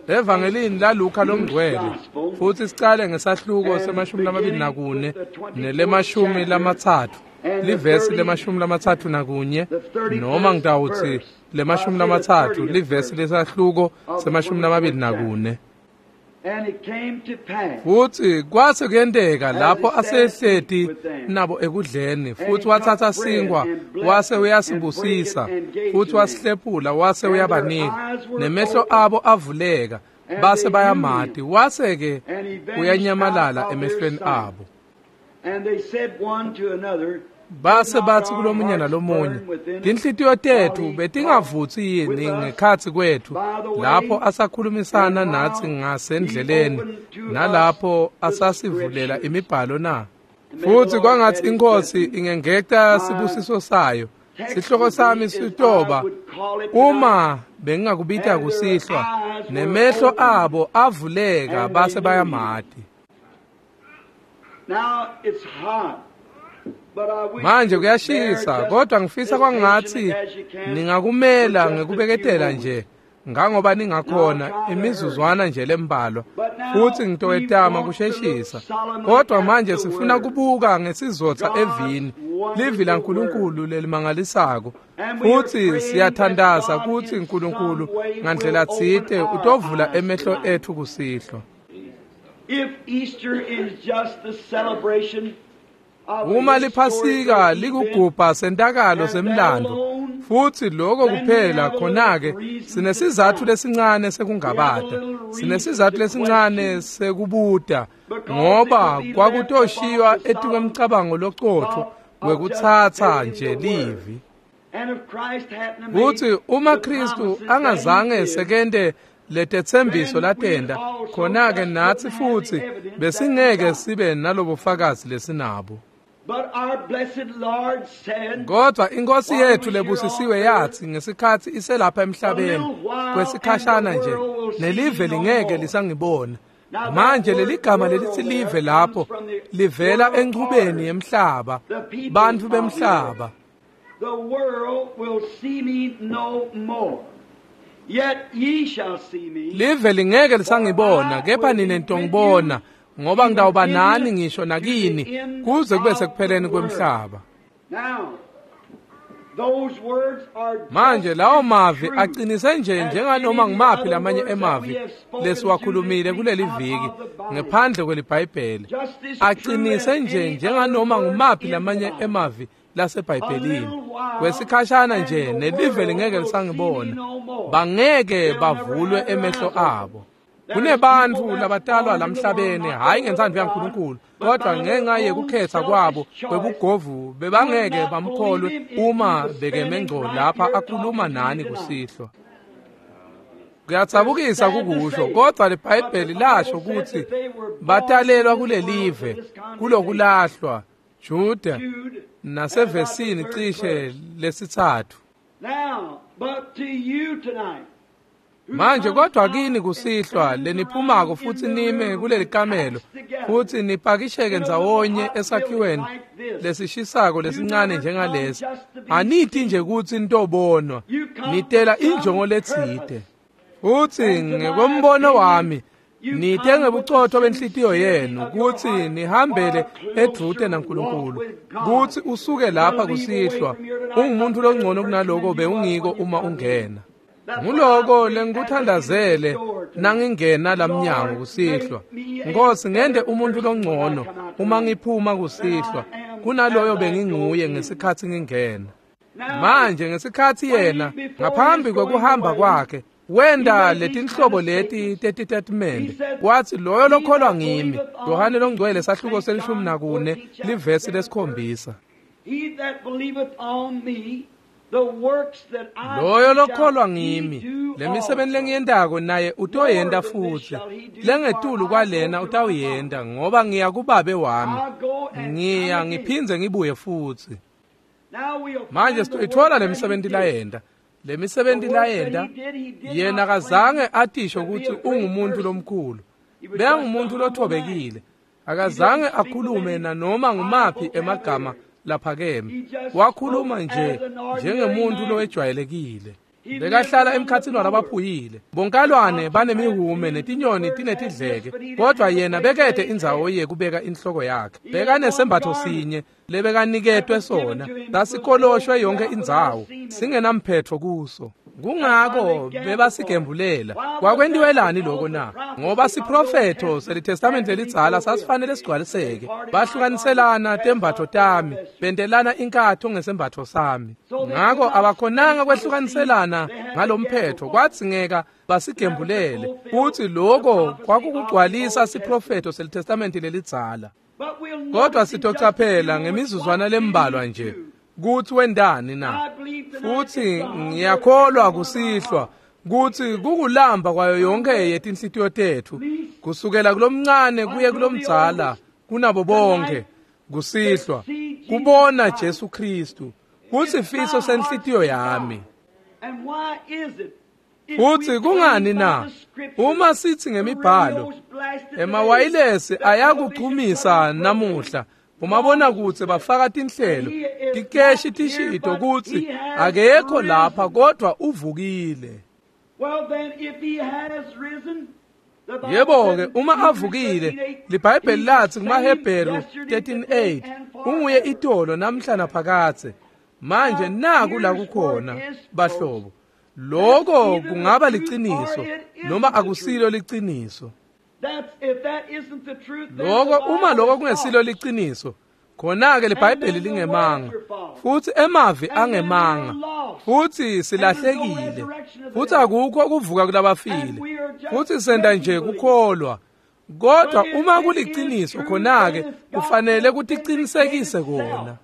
Evangelini laLuka longcwele, futhi sicale ngesahluko se-24 nele-30, livesi le-31, noma ngitawutsi le-30, livesi lesahluko se-24. Futhi kwase kuyenteka lapho asehleti nabo ekudleni, futhi wathatha sinkwa wase uyasibusisa, futhi wasihlephula wase uyabanika, nemehlo abo avuleka, base bayamati, wase-ke uyanyamalala emehlweni abo. Base bathi kulomunye nalomunye, tinhlitiyo tethu betingavutsi yini ngekhatsi kwethu lapho asakhulumisana nathi ngasendleleni, nalapho asasivulela imibhalo na? Futhi kwangathi iNkosi ingengeta sibusiso sayo. Sihloko sami sitoba, uma bengingakubita kusihlwa, nemehlo abo avuleka base bayamati. Manje kuyashisa, kodwa ngifisa kwangathi ningakumela ngekubeketela nje, ngangoba ningakhona imizuzwana nje lembalwa, futhi ngitowetama kusheshisa. Kodwa manje sifuna kubuka ngesizotha evini, livi laNkulunkulu lelimangalisako, futhi siyathandaza ukuthi uNkulunkulu ngandlela tsite utovula emehlo ethu kusihlwa. If Easter is just the celebration Uma liphasika likugubha sentakalo semlando, futhi lokho kuphela, khona-ke sinesizathu lesincane sekungabata, sinesizathu lesincane sekubuta, ngoba kwakutoshiywa etikwemcabango locotho wekutsatsa nje livi. Kuthi uma Kristu angazange sekente letethembiso latenda, khona-ke nathi futhi besingeke sibe nalobufakazi lesinabo. Kodwa iNkosi yethu lebusisiwe yathi ngesikhathi iselapha emhlabeni kwesikhashana nje, nelive lingeke lisangibona. Manje leligama lelithi live lapho livela enchubeni yemhlaba, bantfu bemhlaba. The world will see me no more. Yet ye shall see me. Live lingeke lisangibona, kepha nine nitongibona, ngoba ngitawuba nani ngisho nakini kuze kube sekupheleni kwemhlaba. Manje lawo mavi aqinise nje njenganoma ngimaphi lamanye emavi lesiwakhulumile kuleli viki ngephandle kweliBhayibheli, aqinise nje njenganoma ngimaphi lamanye emavi laseBhayibhelini. Kwesikhashana nje nelive lingeke lisangibona, bangeke bavulwe emehlo abo. Kunebantu labatalwa lamhlabeni, hayi ngentsandvo yaNkulunkulu, kodwa ngenxa yekukhetha kwabo kwebugovu bebangeke bamkholwe uma bekeme ngco lapha akhuluma nani kusihlwa. Kuyatsabukisa kukusho, kodwa liBhayibheli lasho ukuthi batalelwa kulelive, kulokulahlwa, Juda nasevesini cishe lesithathu. Manje kodwa kini kusihlwa leniphumako futhi nime kuleli kamelo, futhi nipakisheke ndzawonye esakhiweni lesishisako lesincane njengalesi, aniti nje kutsi nitobonwa, nitela injongo letsite. Futhi ngekwembono wami nite ngebucotho benhlitiyo yenu kutsi nihambele edvute naNkulunkulu, kutsi usuke lapha kusihlwa ungumuntu longcono kunaloko bewungiko uma ungena. Nguloko lengikuthandazele nangingena lamnyango kusihlwa. Nkosi, ngende umuntu longcono uma ngiphuma kusihlwa kunaloyo benginguye ngesikhathi ngingena. Manje ngesikhathi yena ngaphambi kwekuhamba kwakhe wenda letinhlobo leti tetitatimende, wathi loyo lokholwa ngimi, Yohane longcwele sahluko se-14 livesi le-7, loyo lokholwa ngimi, lemisebenti lengiyentako naye utoyenta futhi, lengetulu kwalena utawuyenta, ngoba ngiya kubabe wami, ngiya ngiphindze ngibuye futhi. Manje sitoyithola lemisebenti layenta. Lemisebenti layenta, yena akazange atisho ukuthi ungumuntu lomkhulu, beyangumuntu lothobekile, akazange akhulume nanoma ngumaphi emagama laphakeme, wakhuluma nje njengemuntu lowejwayelekile. Bekahlala emkhatsini walabaphuyile. Bonkalwane banemihume netinyoni tinetidleke, kodwa yena bekete indzawo yekubeka inhloko yakhe. Bekanesembatfo sinye lebekaniketwe sona, sasikoloshwe yonke indzawo, singenamphetfo kuso. Kungako bebasigembulela. Kwakwentiwelani lokho na? Ngoba siprofetho seliTestamente lelidzala sasifanele sigcwaliseke. Bahlukaniselana tembatfo tami, bentelana inkatho ngesembatfo sami. Ngako abakhonanga kwehlukaniselana ngalomphetho, kwadzingeka basigembulele. Futhi lokho kwakukugcwalisa siprofetho seliTestamente lelidzala. Kodwa sitocaphela ngemizuzwana lembalwa nje kutsi wendani na. Futhi ngiyakholwa kusihlwa kutsi kukulamba kwayo yonke yetinhlitiyo tetfu, kusukela kulomncane kuye kulomdzala, kunabo bonke kusihlwa kubona Jesu Kristu kusifiso senhlitiyo yami. Futhi kungani na? Uma sithi ngemibhalo, emawayilesi ayakuchumisa namuhla. Umabona kutsi bafaka tinhlelo, tikeshi tishito kutsi akekho lapha kodwa uvukile. Yebo-ke, uma avukile, liBhayibheli lathi kumaHebheru 13:8, unguye itolo namhla naphakadze. Manje naku la kukhona bahlobo. Lokho kungaba liciniso noma akusilo liciniso. Lokho uma lokho kungesilo liciniso, khona-ke liBhayibheli lingemanga, futhi emavi angemanga, futhi silahlekile, futhi akukho ukuvuka kulabafile, futhi senta nje kukholwa. Kodwa uma kuliciniso, khona-ke kufanele kuticinisekise kona.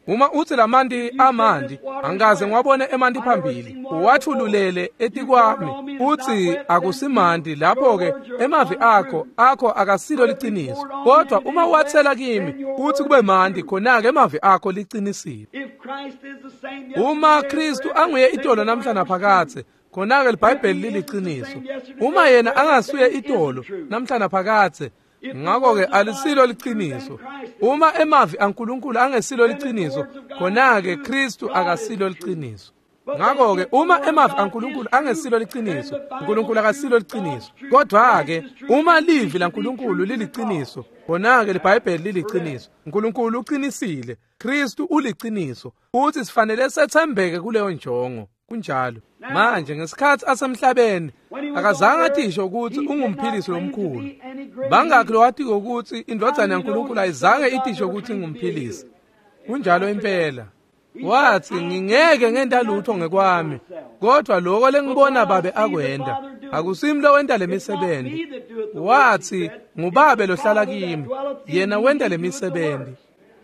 Uma uthi lamanti amanti, angikaze ngiwabone emanti phambili, uwathululele etikwami, uthi akusimanti, lapho-ke emavi akho akasilo liciniso. Kodwa uma uwathela kimi, uthi kube manti, khona-ke emavi akho liqinisile. Uma Kristu anguye itolo namhla naphakadze, khona-ke liBhayibheli liliciniso. Uma yena angasuye itolo namhla naphakadze, ngakho-ke alisilo liciniso. Uma emavi aNkulunkulu angesilo liciniso, khona-ke Kristu akasilo liciniso. Ngakho-ke uma emavi aNkulunkulu angesilo liciniso, uNkulunkulu akasilo liciniso. Kodwa-ke uma livi laNkulunkulu liliciniso, khona-ke liBhayibheli liliciniso. uNkulunkulu uqinisile, Kristu uliciniso, futhi sifanele sethembeke kuleyo njongo. Kunjalo. Manje ngesikhathi asemhlabeni akazange atisho ukuthi ungumphilisi lomkhulu. Bangakhi lowatiko ukuthi indvodzana yaNkulunkulu ayizange itisho ukuthi ingumphilisi? Kunjalo impela. Wathi ngingeke ngenta lutho ngekwami, kodwa lokho lengibona babe akwenda, akusimi lowenta lemisebenzi. Wathi ngubabe lohlala kimi, yena wenta lemisebenzi.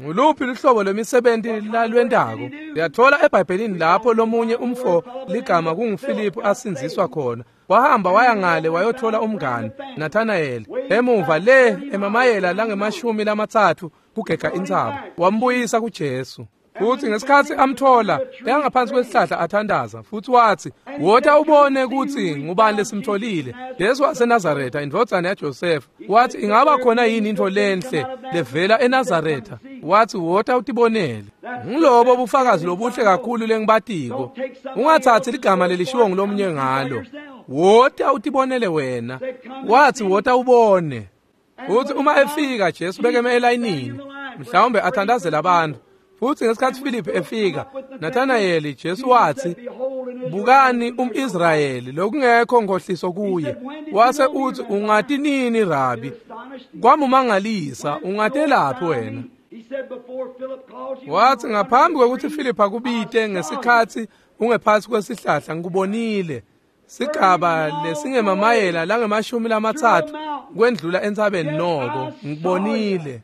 Nguluphi luhlobo lwemisebenzi lalwentako? Uyathola eBhayibhelini lapho lomunye umfo ligama kunguFiliphu asinziswa khona. Wahamba waya ngale wayothola umngani Nathanael emuva le emamayela langemashumi lamatsatfu kugega intsaba, wambuyisa kuJesu. Futhi ngesikhathi amthola bekangaphansi kwesihlahla athandaza, futhi wathi wota ubone ukuthi ngubani lesimtholile, Jesu waseNazaretha indvodzana yaJosefa. Wathi ingaba khona yini into lenhle levela eNazaretha? Wathi wota utibonele. Ngilobo bufakazi lobuhle kakhulu lengibatiko. Ungathathi ligama lelishiwo ngulomunye ngalo. Wota utibonele wena. Wathi wota ubone. Futhi uma efika Jesu bekeme elayinini, mhlawumbe athandazela abantu. Futhi ngesikhathi Philip efika, Nathanael Jesu wathi, bukani umIsrayeli lokungekho nkohliso kuye. Wase uthi ungati nini Rabi? Kwamumangalisa, ungatelaphi wena? Wathi ngaphambi kwekuthi Philip akubite ngesikhathi ungephansi kwesihlahla ngikubonile. Sigaba lesingemamayela langemashumi lamatsatfu kwendlula entsabeni noko ngikubonile.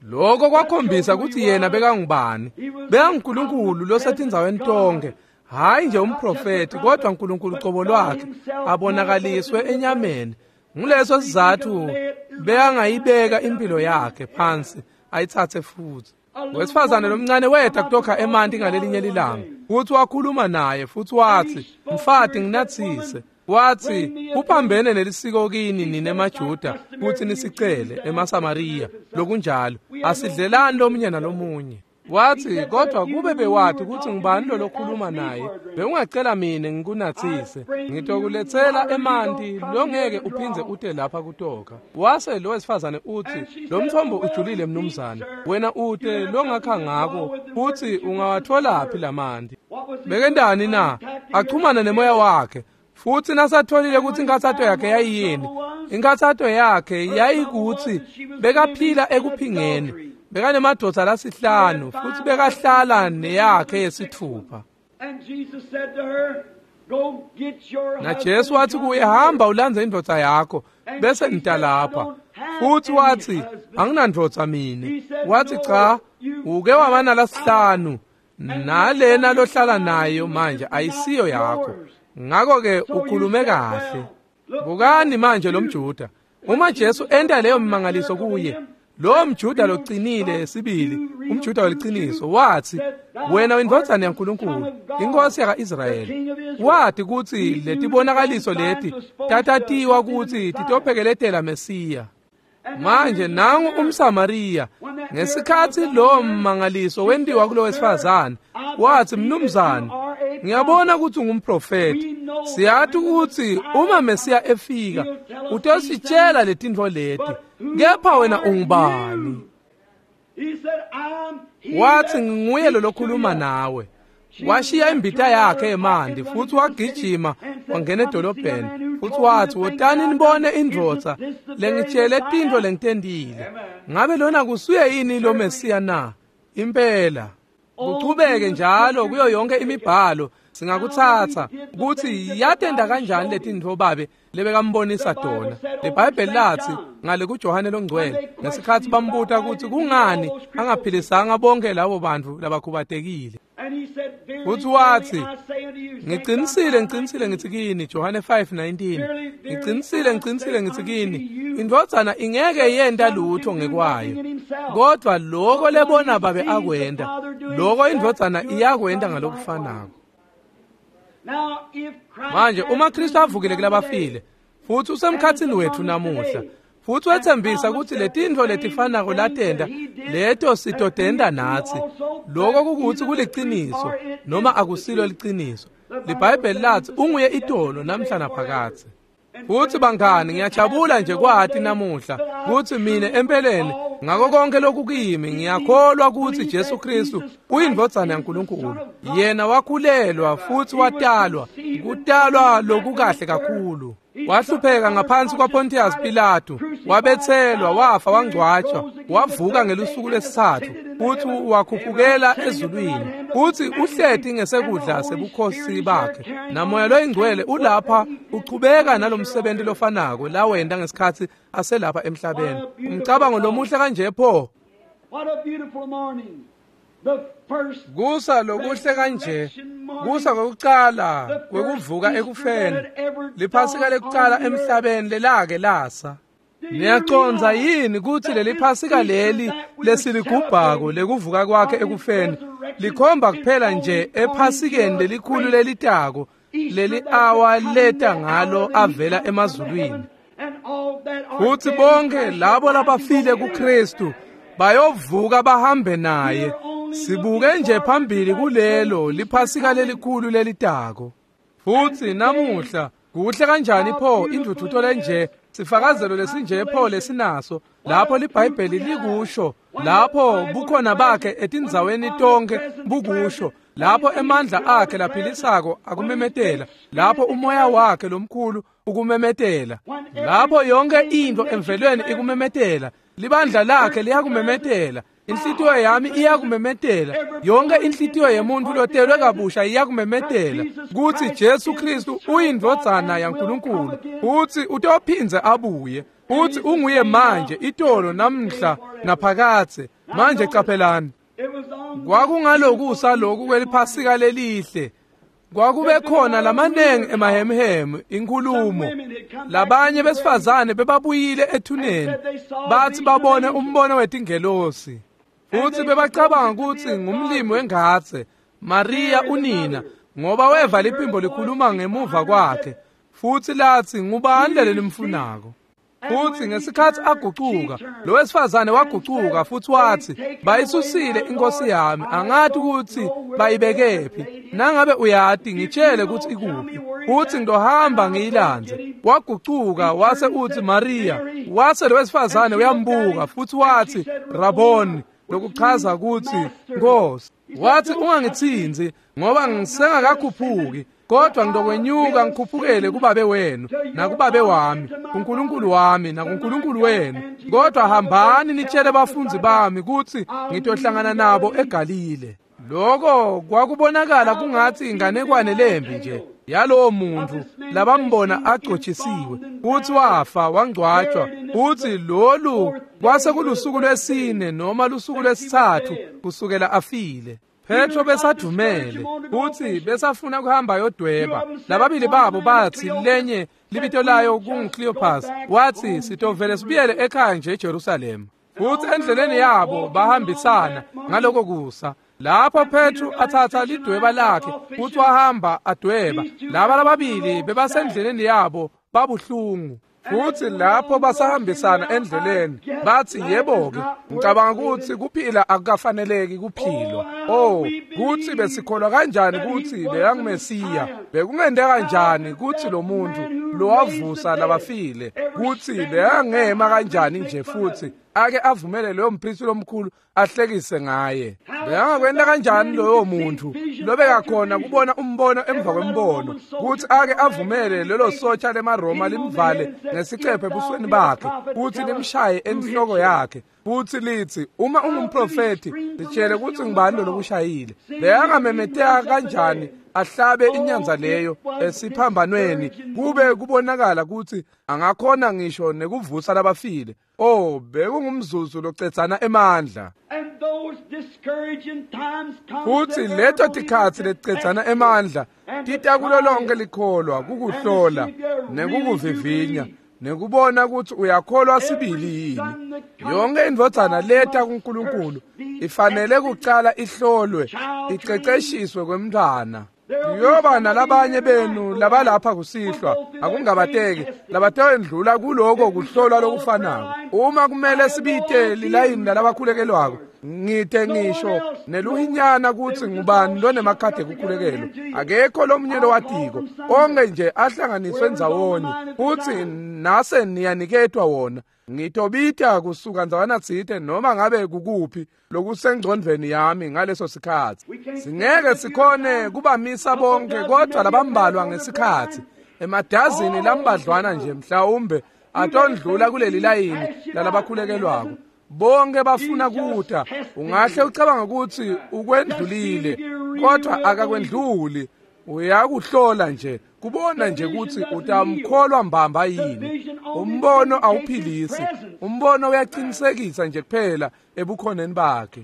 Lokho kwakhombisa ukuthi yena bekangubani. BekanguNkulunkulu losetindzaweni tonke, hayi nje umprofeti, kodwa uNkulunkulu cobo lwakhe abonakaliswe enyameni. Nguleso sizathu bekangayibeka impilo yakhe phansi ayithathe futhi. Wesifazane lomncane weta kutokha emanti ngalelinye lilanga, futhi wakhuluma naye futhi wathi, mfati nginathise. Wathi uphambene nelisiko kini nina emaJuda kuthi nisicele emaSamariya lokunjalo, asidlelani lomunye nalomunye. Wathi, kodwa kube bewati ukuthi ngubani lo lokhuluma naye, bewungacela mina ngikunathise, ngitokulethela emanti longeke uphindze ute lapha kutoka. Wase lo wesifazane uthi, lo mthombo ujulile mnumzane, wena ute longakha ngako, futhi ungawatholaphi lamanti? Bekendani na? Achumana nemoya wakhe. Futhi nasatholile ukuthi inkathato yakhe yayiyini, inkathato yakhe yayikuthi bekaphila ekuphingeni, bekanemadvodza lasihlanu futhi bekahlala neyakhe yesithupha. NaJesu wathi kuye, hamba ulandze indvodza yakho bese ngita lapha. Futhi wathi, anginandvodza mine. Wathi, cha, uke waba nalasihlanu, nalena lohlala nayo manje ayisiyo yakho. Ngakho-ke ukhulume kahle. Bukani manje lo mJuda. Uma Jesu enta leyo mimangaliso kuye, lo mJuda loqinile sibili, umJuda weliciniso, wathi, wena uyindvodzana yaNkulunkulu, inkosi yaka-Israyeli. Wathi kutsi letibonakaliso leti tatatiwa kutsi titophekeletela Mesiya. Manje nangu umSamariya, ngesikhatsi lo mmangaliso wentiwa kulo wesifazane, wathi, mnumzane, ngiyabona ukuthi ungumprofeti. Siyathi ukuthi uma Mesiya efika utositshela letintfo leti, kepha wena ungubani? Wathi, nginguye lo lokhuluma nawe. Washiya imbita yakhe emanti futhi wagijima wangena edolobheni, futhi wathi, wotani nibone indvodza lengitshele tintfo lengitentile. Ngabe lona kusuye yini lo Mesiya na? Impela. Kuchubeke njalo kuyo yonke imibhalo singakuthatha ukuthi yatenda kanjani letintfo babe lebekambonisa tona. LiBhayibheli lathi ngale kuJohane longcwele, ngesikhatsi bambuta ukuthi kungani angaphilisanga bonke labo bantu labakhubatekile, futhi wathi, ngicinisile ngicinisile ngithi kini, Johane 5:19, ngicinisile ngicinisile ngithi kini, indvodzana ingeke yenta lutho ngekwayo, kodwa lokho lebona babe akwenta, lokho indvodzana iyakwenta ngalokufanako. Manje uma Kristu avukile kulabafile futhi usemkhatsini wethu namuhla, futhi wethembisa ukuthi letintfo letifanako latenta leto sitotenta natsi, lokho kukuthi kuliciniso noma akusilo liciniso. LiBhayibheli lathi unguye itolo namhla naphakadze. Futhi bangani, ngiyajabula nje kwati namuhla ukuthi mina empeleni ngako konke lokukimi ngiyakholwa ukuthi Jesu Kristu uyindvodzana yaNkulunkulu. Yena wakhulelwa futhi watalwa, kutalwa lokukahle kakhulu. Wahlupheka ngaphansi kwaPontius Pilatu, wabethelwa, wafa, wangcwatshwa, wavuka ngelusuku lwesithathu, futhi wakhuphukela ezulwini, futhi uhleti ngesekudla sebukhosi bakhe. Namoya loyingcwele ulapha uchubeka nalomsebenzi lofanako lawenta ngesikhatsi aselapha emhlabeni. Umcabango lomuhle kanje pho. Kusa lokuhle kanje, kusa kokucala kwekuvuka ekufeni, liphasika lekucala emhlabeni lelake lasa. Niyacondza yini ukuthi leliphasika leli lesiligubhako lekuvuka kwakhe ekufeni likhomba kuphela nje ephasikeni lelikhulu lelitako leli awa leta ngalo avela emazulwini. Futhi bonke labo labafile kuKristu bayovuka bahambe naye. Sibuke nje phambili kulelo liphasika lelikhulu lelitako. Futhi namuhla kuhle kanjani pho indvudvuto lenje, sifakazelo lesinje pho lesinaso, lapho liBhayibheli likusho, lapho bukhona bakhe etindzaweni tonke bukusho, lapho emandla akhe laphilisako akumemetela, lapho umoya wakhe lomkhulu ukumemetela, lapho yonke into emvelweni ikumemetela, libandla lakhe liyakumemetela, inhlitiyo yami iyakumemetela, yonke inhlitiyo yemuntu lotelwe kabusha iyakumemetela kutsi Jesu Kristu uyindvodzana yaNkulunkulu, utsi utophindze abuye, utsi unguye manje, itolo, namhla, naphakadze. Manje caphelani, kwakungalokusa loku kweliphasika lelihle, kwakube khona lamanengi emahemhemu inkhulumo. Labanye besifazane bebabuyile ethuneni, bathi babone umbono wetingelosi, futhi bebacabanga ukuthi ngumlimi wengadze Maria unina, ngoba weva liphimbo likhuluma ngemuva kwakhe, futhi lathi, ngubani lelimfunako? Futsi ngesikhatsi agucuka, lo wesifazane wagucuka futsi watsi, bayisusile inkosi yami, angati kutsi bayibekephi. Nangabe uyati, ngitshele kutsi ikuphi, futsi ngitohamba ngiyilandze. Wagucuka wase utsi, Mariya. Wase lo wesifazane uyambuka futsi watsi, Raboni, lokuchaza kutsi Nkosi. Wathi, ungangitsintsi ngoba ngisengakakhuphuki, kodwa ngitokwenyuka ngikhuphukele kubabe wenu nakubabe wami, kuNkulunkulu wami nakuNkulunkulu wenu. Kodwa hambani nitshele bafundzi bami kutsi ngitohlangana nabo eGalile. Lokho kwakubonakala kungatsi inganekwane lembi nje yalowo muntu labambona agcotshisiwe, futsi wafa wangcwatshwa, futsi lolu kwase kulusuku lwesine noma lusuku lwesithathu kusukela afile. Petro besadumele futsi besafuna kuhamba yodweba. Lababili babo batsi, lenye libito layo kunguCleopas, watsi sitovele sibuyele ekhaya nje eJerusalema. Futsi endleleni yabo bahambisana ngaloko kusa. Lapho Petro athatha lidweba lakhe futsi wahamba adweba. Laba lababili bebasendleleni yabo babuhlungu. Futsi lapho basahambisana endleleni batsi, yebo-ke, ngicabanga kutsi kuphila akukafaneleki kuphilwa. Oh, kutsi besikholwa kanjani kutsi bekanguMesiya? Bekungenteka kanjani kutsi lo muntu lowavusa labafile kutsi bekangema kanjani nje futsi ake avumele loyo mpristi lomkhulu ahlekise ngaye? Bekangakwenta kanjani loyo muntu lobekakhona kubona umbono emva kwembono kutsi ake avumele lelo sotsha lemaRoma limvale ngesicephe ebusweni bakhe kutsi limshaye enhloko yakhe futsi litsi, uma ungumprofethi litshele kutsi ngubani lolokushayile? Bekangamemeteka kanjani ahlabe inyanza leyo esiphambanweni kube kubonakala kutsi angakhona ngisho nekuvusa labafile? Oh, bekungumzuzu locedzana emandla. Futsi leto tikhatsi leticedzana emandla tita kulo lonke likholwa kukuhlola nekukuvivinya nekubona kutsi uyakholwa sibili yini. Yonke indvodzana leta kuNkulunkulu ifanele kucala ihlolwe, iceceshiswe kwemntfwana. Kuyoba nalabanye benu labalapha kusihlwa, akungabateki, labatawendlula kuloko kuhlolwa lokufanako. Uma kumele sibite lilayini lalabakhulekelwako, ngite ngisho neluhinyana kutsi ngubani lonemakhadi ekukhulekelwa. Akekho lomunye lowatiko, onke nje ahlanganiswe ndzawonye, futsi nase niyaniketwa wona. Ngitobita kusuka ndzawana tsite noma ngabe kukuphi lokusengcondvweni yami ngaleso sikhatsi. Singeke sikhone kubamisa bonke, kodwa labambalwa ngesikhatsi, emadazini lambadlwana nje mhlawumbe atondlula kuleli layini lalabakhulekelwako. Bonke bafuna kuta. Ungahle ucabanga kutsi ukwendlulile, kodwa akakwendluli. Uyakuhlola nje, kubona nje kutsi utamkholwa mbamba yini. Umbono awuphilisi, umbono uyaqinisekisa nje kuphela ebukhoneni bakhe.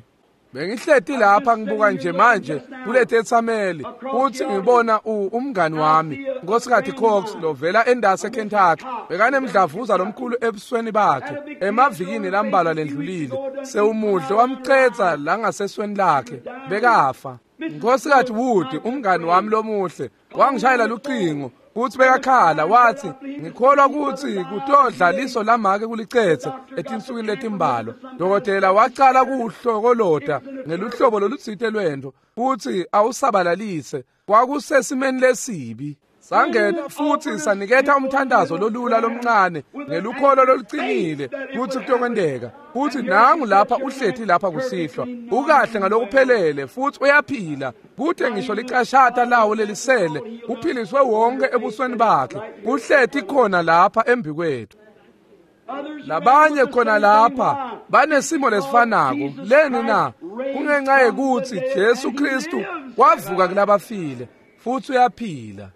Bengihleti lapha ngibuka nje manje kuletetsameli futsi ngibona umngani wami Nkosikazi Cox lovela endase eKentucky, bekanemdlavuza lomkhulu ebusweni bakhe emavikini lambalwa lendlulile. Sewumudle wamcedza langasesweni lakhe, bekafa. Nkosikazi Wood, umngani wami lomuhle, wangishayela lucingo kutsi bekakhala, wathi, ngikholwa kutsi kutodla liso lamake kulicetse etinsukwini letimbalwa. Dokotela wacala kuwuhlokolota ngeluhlobo lolutsite lwento futsi awusabalalise. Kwakusesimeni lesibi. Sangena futsi saniketha umthandazo lolula lomncane ngelukholo lolucinile kutsi kutokwenteka. Futsi nangu lapha uhleti lapha kusihlwa, ukahle ngalokuphelele futsi uyaphila, kute ngisho licashata lawo lelisele, uphiliswe wonke ebusweni bakhe, uhleti khona lapha embikwethu. Labanye khona lapha banesimo lesifanako. Leni na? Kungenxa yekutsi Jesu Kristu wavuka kulabafile futsi uyaphila.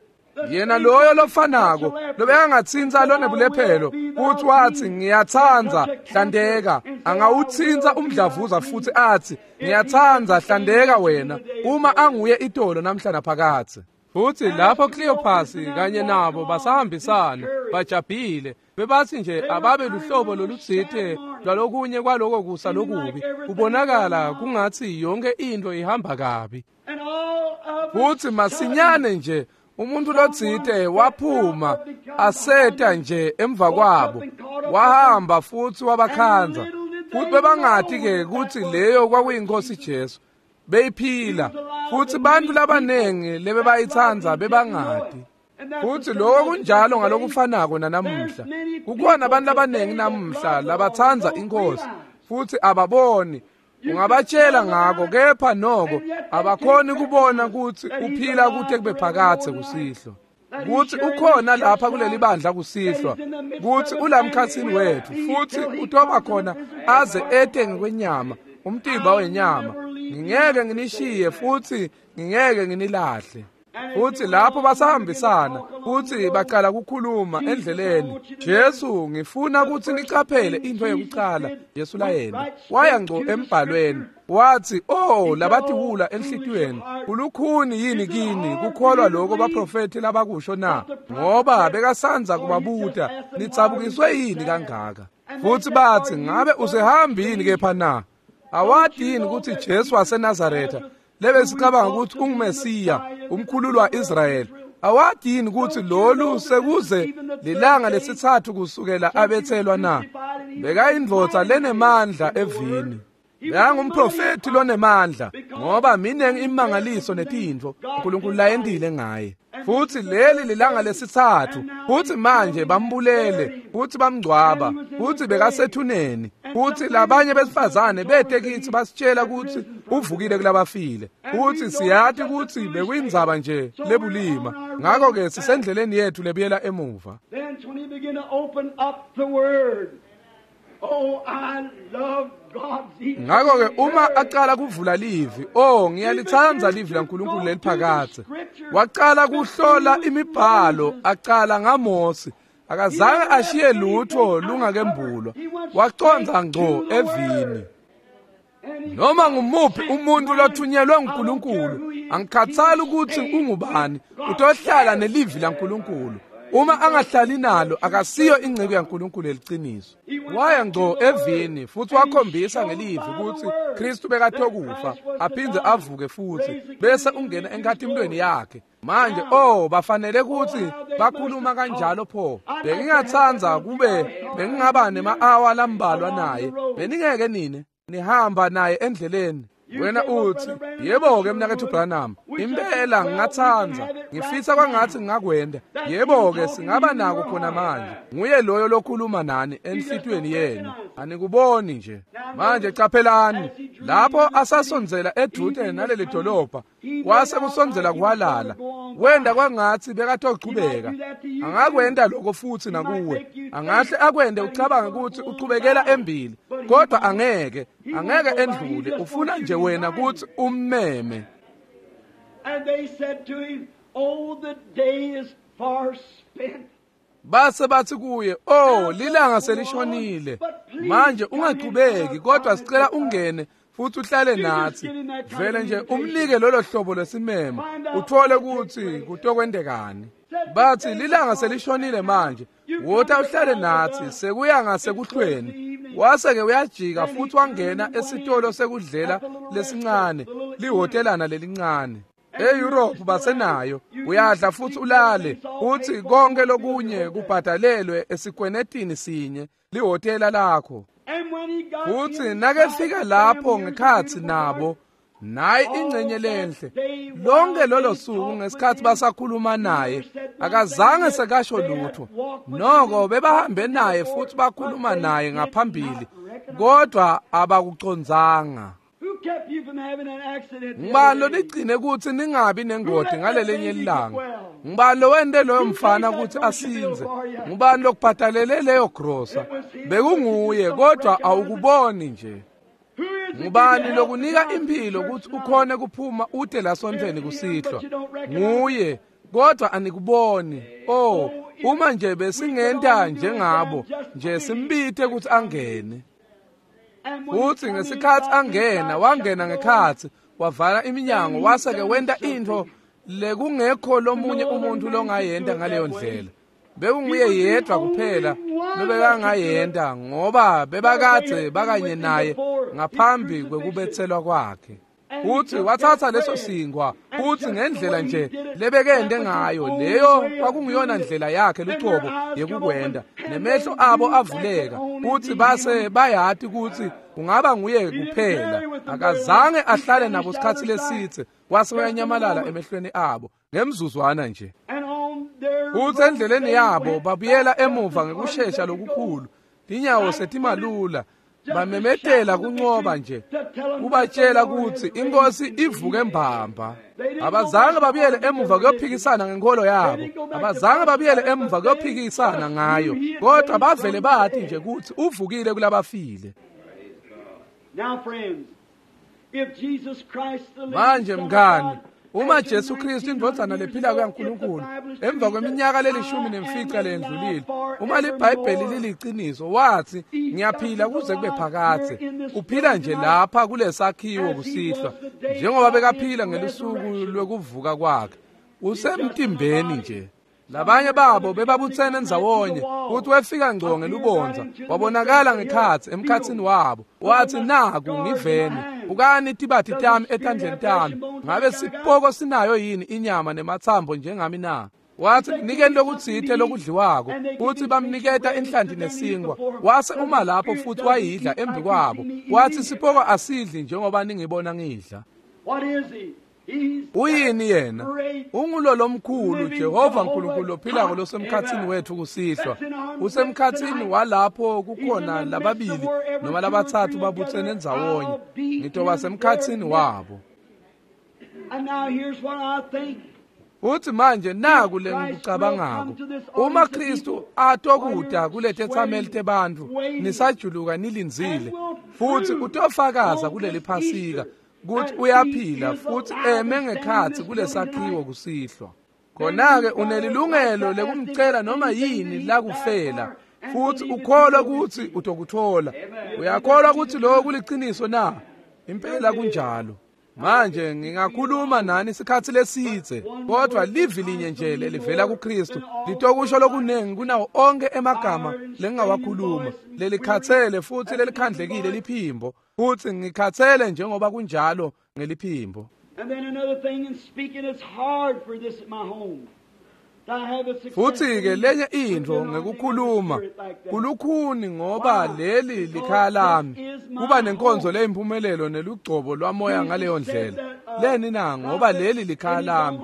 Yena loyo lofanako lobekangatsintsa lonebulephelo kutsi watsi, ngiyatsandza, hlandeka, angawutsintsa umdlavuza futsi atsi, ngiyatsandza, hlandeka wena, uma anguye itolo namhla naphakadze. Futsi lapho Cleopas kanye nabo basahambisana bajabhile, bebatsi nje ababe luhlobo lolutsite lwalokunye kwaloko kusa lokubi, kubonakala kungatsi yonke into ihamba kabi. Futsi masinyane nje umuntu lotsite waphuma aseta nje emva kwabo, Wahamba futsi wabakhandza, futsi bebangati-ke kutsi leyo kwakuyinkosi Jesu. Beyiphila, futsi bantfu labanengi lebebayitsandza bebangati. Futsi lokho kunjalo ngalokufanako nanamuhla. Kukhona abantu labanengi namuhla labatsandza inkosi, futsi ababoni. Ungabatshela ngako, kepha noko abakhoni kubona kutsi uphila kute kube phakadze kusihlwa, kutsi ukhona lapha kuleli bandla kusihlwa, kutsi ulamkhatsini wetfu, futsi utoba khona aze ete ngekwenyama, umtimba wenyama. Ngingeke nginishiye futsi ngingeke nginilahle. Futsi lapho basahambisana futsi bacala kukhuluma endleleni, Jesu, ngifuna kutsi nicaphele intfo yekucala Jesu layena. Waya ngco embhalweni wathi, "Oh, labatiwula enhlitiyweni, kulukhuni yini kini kukholwa lokho baprofethi labakusho na? Ngoba bekasandza kubabuta, nitsabukiswe yini kangaka?" Futsi bathi, "Ngabe usehambini kepha na? Awati yini kutsi Jesu waseNazaretha lebesicabanga ukuthi unguMesiya, umkhululi wa-Israyeli, awati yini kutsi lolu sekuze lilanga lesitsatfu kusukela abetselwa na?" Bekayindvodza lenemandla evini. Bekangumprofethi lonemandla, ngoba minengi imangaliso netintfo uNkulunkulu layentile ngaye. Futsi leli lilanga lesitsatfu, futsi manje bambulele, futsi bamngcwaba, futsi bekasethuneni, futsi labanye besifazane bete kitsi basitshela kutsi uvukile kulabafile, futsi siyati kutsi bekuyindzaba nje lebulima. Ngakho-ke sisendleleni yethu lebuyela emuva. Then when he began to open up the word, oh, I love God's Ngakho-ke uma acala kuvula livi, oh, ngiyalitsandza livi laNkulunkulu leliphakadze. Wacala kuhlola imibhalo, acala ngaMose. Akazange ashiye lutho lungakembulwa. Wacondza ngco evini. Noma ngumuphi umuntu lothunyelwe nguNkulunkulu, angikhathali ukuthi ungubani, utohlala nelivi laNkulunkulu. Uma angahlali nalo, akasiyo inceku yaNkulunkulu eliciniso. Waya ngco evini futsi wakhombisa ngelivi kutsi Kristu bekatokufa aphindze avuke futsi, bese ungena enkhatimulweni yakhe. Manje, oh, bafanele kutsi bakhuluma kanjalo pho. Bengingatsandza kube bengingaba nema-awa lambalwa naye. Beningeke nine nihamba naye endleleni. Wena uthi, "Yebo-ke mnaketfu Branham, impela ngingatsandza, ngifisa kwangatsi ngingakwenta." Yebo-ke, singaba nako khona manje. Nguye loyo lokhuluma nani enhlitiyweni yenu. Anikuboni nje. Manje caphelani, lapho asasondzela edvute naleli dolobha, kwase kusondzela kuhwalala. Wenda kwangatsi bekatochubeka. Angakwenta lokho futsi nakuwe. Angahle akwente ucabange kutsi uchubekela embili, kodwa angeke, angeke endlule. Ufuna nje wena kutsi ummeme. And they said to him, "Oh, the day is far spent." Base bathi kuye, "Oh, lilanga selishonile. Manje ungachubeki, kodwa sicela ungene futhi uhlale nathi." Vele nje umnike lolo hlobo lwesimemo, uthole ukuthi kutokwendekani. Bathi, "Lilanga selishonile manje, wota uhlale nathi, sekuya ngasekuhlweni." Wase-ke uyajika futhi wangena esitolo sekudlela lesincane, lihotelana lelincane. E-Europe basenayo, uyadla futhi ulale, futhi konke lokunye kubhadalelwe esikwenetini sinye, lihhotela lakho. And when he got Futhi inside nakefika lapho them, here's a ngekhatsi beautiful nabo, nayi ingcenye lenhle. Lonke lolo suku ngesikhathi basakhuluma naye, akazange sekasho lutho. Noko bebahambe naye futhi bakhuluma naye ngaphambili, kodwa abakucondzanga. Who kept you from having an accident the Ngubani other day? loligcine kutsi ningabi nengoti ngalelinye ilanga? Ngubani lowente loyo mfana kutsi asindze? Ngubani lokubhadalele leyo grosa? Bekunguye, kodwa awukuboni nje. Who is it Ngubani give you lokunika health to impilo come to kutsi church ukhone kuphuma ute lasontfweni kusihlwa? Nguye, kodwa anikuboni. Oh, uma nje besingenta njengabo, nje simbite kutsi angene. And when he Futhi come ngesikhathi in, angena, inside, wangena shut the door. ngekhatsi, wavala iminyango, wase-ke wenta intfo lekungekho lomunye umuntu longayenta ngaleyo ndlela. Bekunguye yedwa kuphela lobekangayenta, ngoba bebakadze bakanye naye ngaphambi kwekubetselwa kwakhe. Futsi watsatsa leso sinkwa, futsi ngendlela nje lebekende ngayo, leyo kwakunguyona ndlela yakhe lucobo yekukwenda. Nemehlo abo avuleka, futsi base bayati kutsi kungaba nguye kuphela. Akazange ahlale nabo sikhatsi lesitse, wase uyanyamalala emehlweni abo ngemzuzwana nje. Futsi endleleni yabo babuyela emuva ngekushesha lokukhulu, tinyawo setimalula, bamemetela kuncoba nje, kubatshela kutsi inkosi ivuke mbamba. Abazange babuyele emuva kuyophikisana ngenkolo yabo, abazange babuyele emuva kuyophikisana ngayo, kodwa bavele bathi nje kutsi uvukile kulabafile. Manje mngani, uma Jesu Kristu indvodzana lephilako yaNkulunkulu emva kweminyaka le15 lendlulile, uma liBhayibheli liliqiniso, wathi ngiyaphila kuze kube phakadze. Uphila nje lapha kulesakhiwo kusihlwa njengoba bekaphila ngelusuku lwekuvuka kwakhe. Usemtimbeni nje. Labanye babo bebabutsene ndzawonye, futhi wefika ngco ngelubondza, wabonakala ngekhatsi emkhatsini wabo. Wathi, naku ngiveni, bukani tibati tami etandleni tami, ngabe sipoko sinayo yini inyama nematsambo njengami na? Wathi, nikeni lokutsite lokudliwako. Futhi bamniketa inhlanti nesinkwa. Wase uma lapho futhi wayidla embi kwabo. Wathi, sipoko asidli njengoba ningibona ngidla. Uyini yena? Ungulo lomkhulu Jehova Nkulunkulu lophilako losemkhatsini wethu kusihlwa. Usemkhatsini walapho kukhona lababili noma labatsatfu babutsene ndzawonye. Ngitoba semkhatsini wabo. Uthi manje naku lengikucabangako. Uma Kristu atokuta kuletetsameli tebantfu, nisajuluka nilindzile, futhi utofakaza kuleli Phasika kuthi uyaphila futhi eme ngekhatsi kulesakhiwo kusihlwa. Khona-ke unelilungelo lekumcela noma yini lakufela, futhi ukholwa kutsi utokuthola. Uyakholwa kutsi lokho kuliciniso na? Impela kunjalo. Manje ngingakhuluma nani isikhatsi lesitse, kodwa livi linye nje lelivela kuKristu litokusho lokunengi kunawo onke emagama lengingawakhuluma. Lelikhatsele futhi lelikhandlekile liphimbo, futhi ngikhatsele njengoba kunjalo ngeliphimbo. Futhi-ke lenye intfo ngekukhuluma kulukhuni ngoba leli likhaya lami, kuba nenkonzo leyimpumelelo nelugcobo lwamoya ngaleyo ndlela. Leni na? Ngoba leli likhaya lami.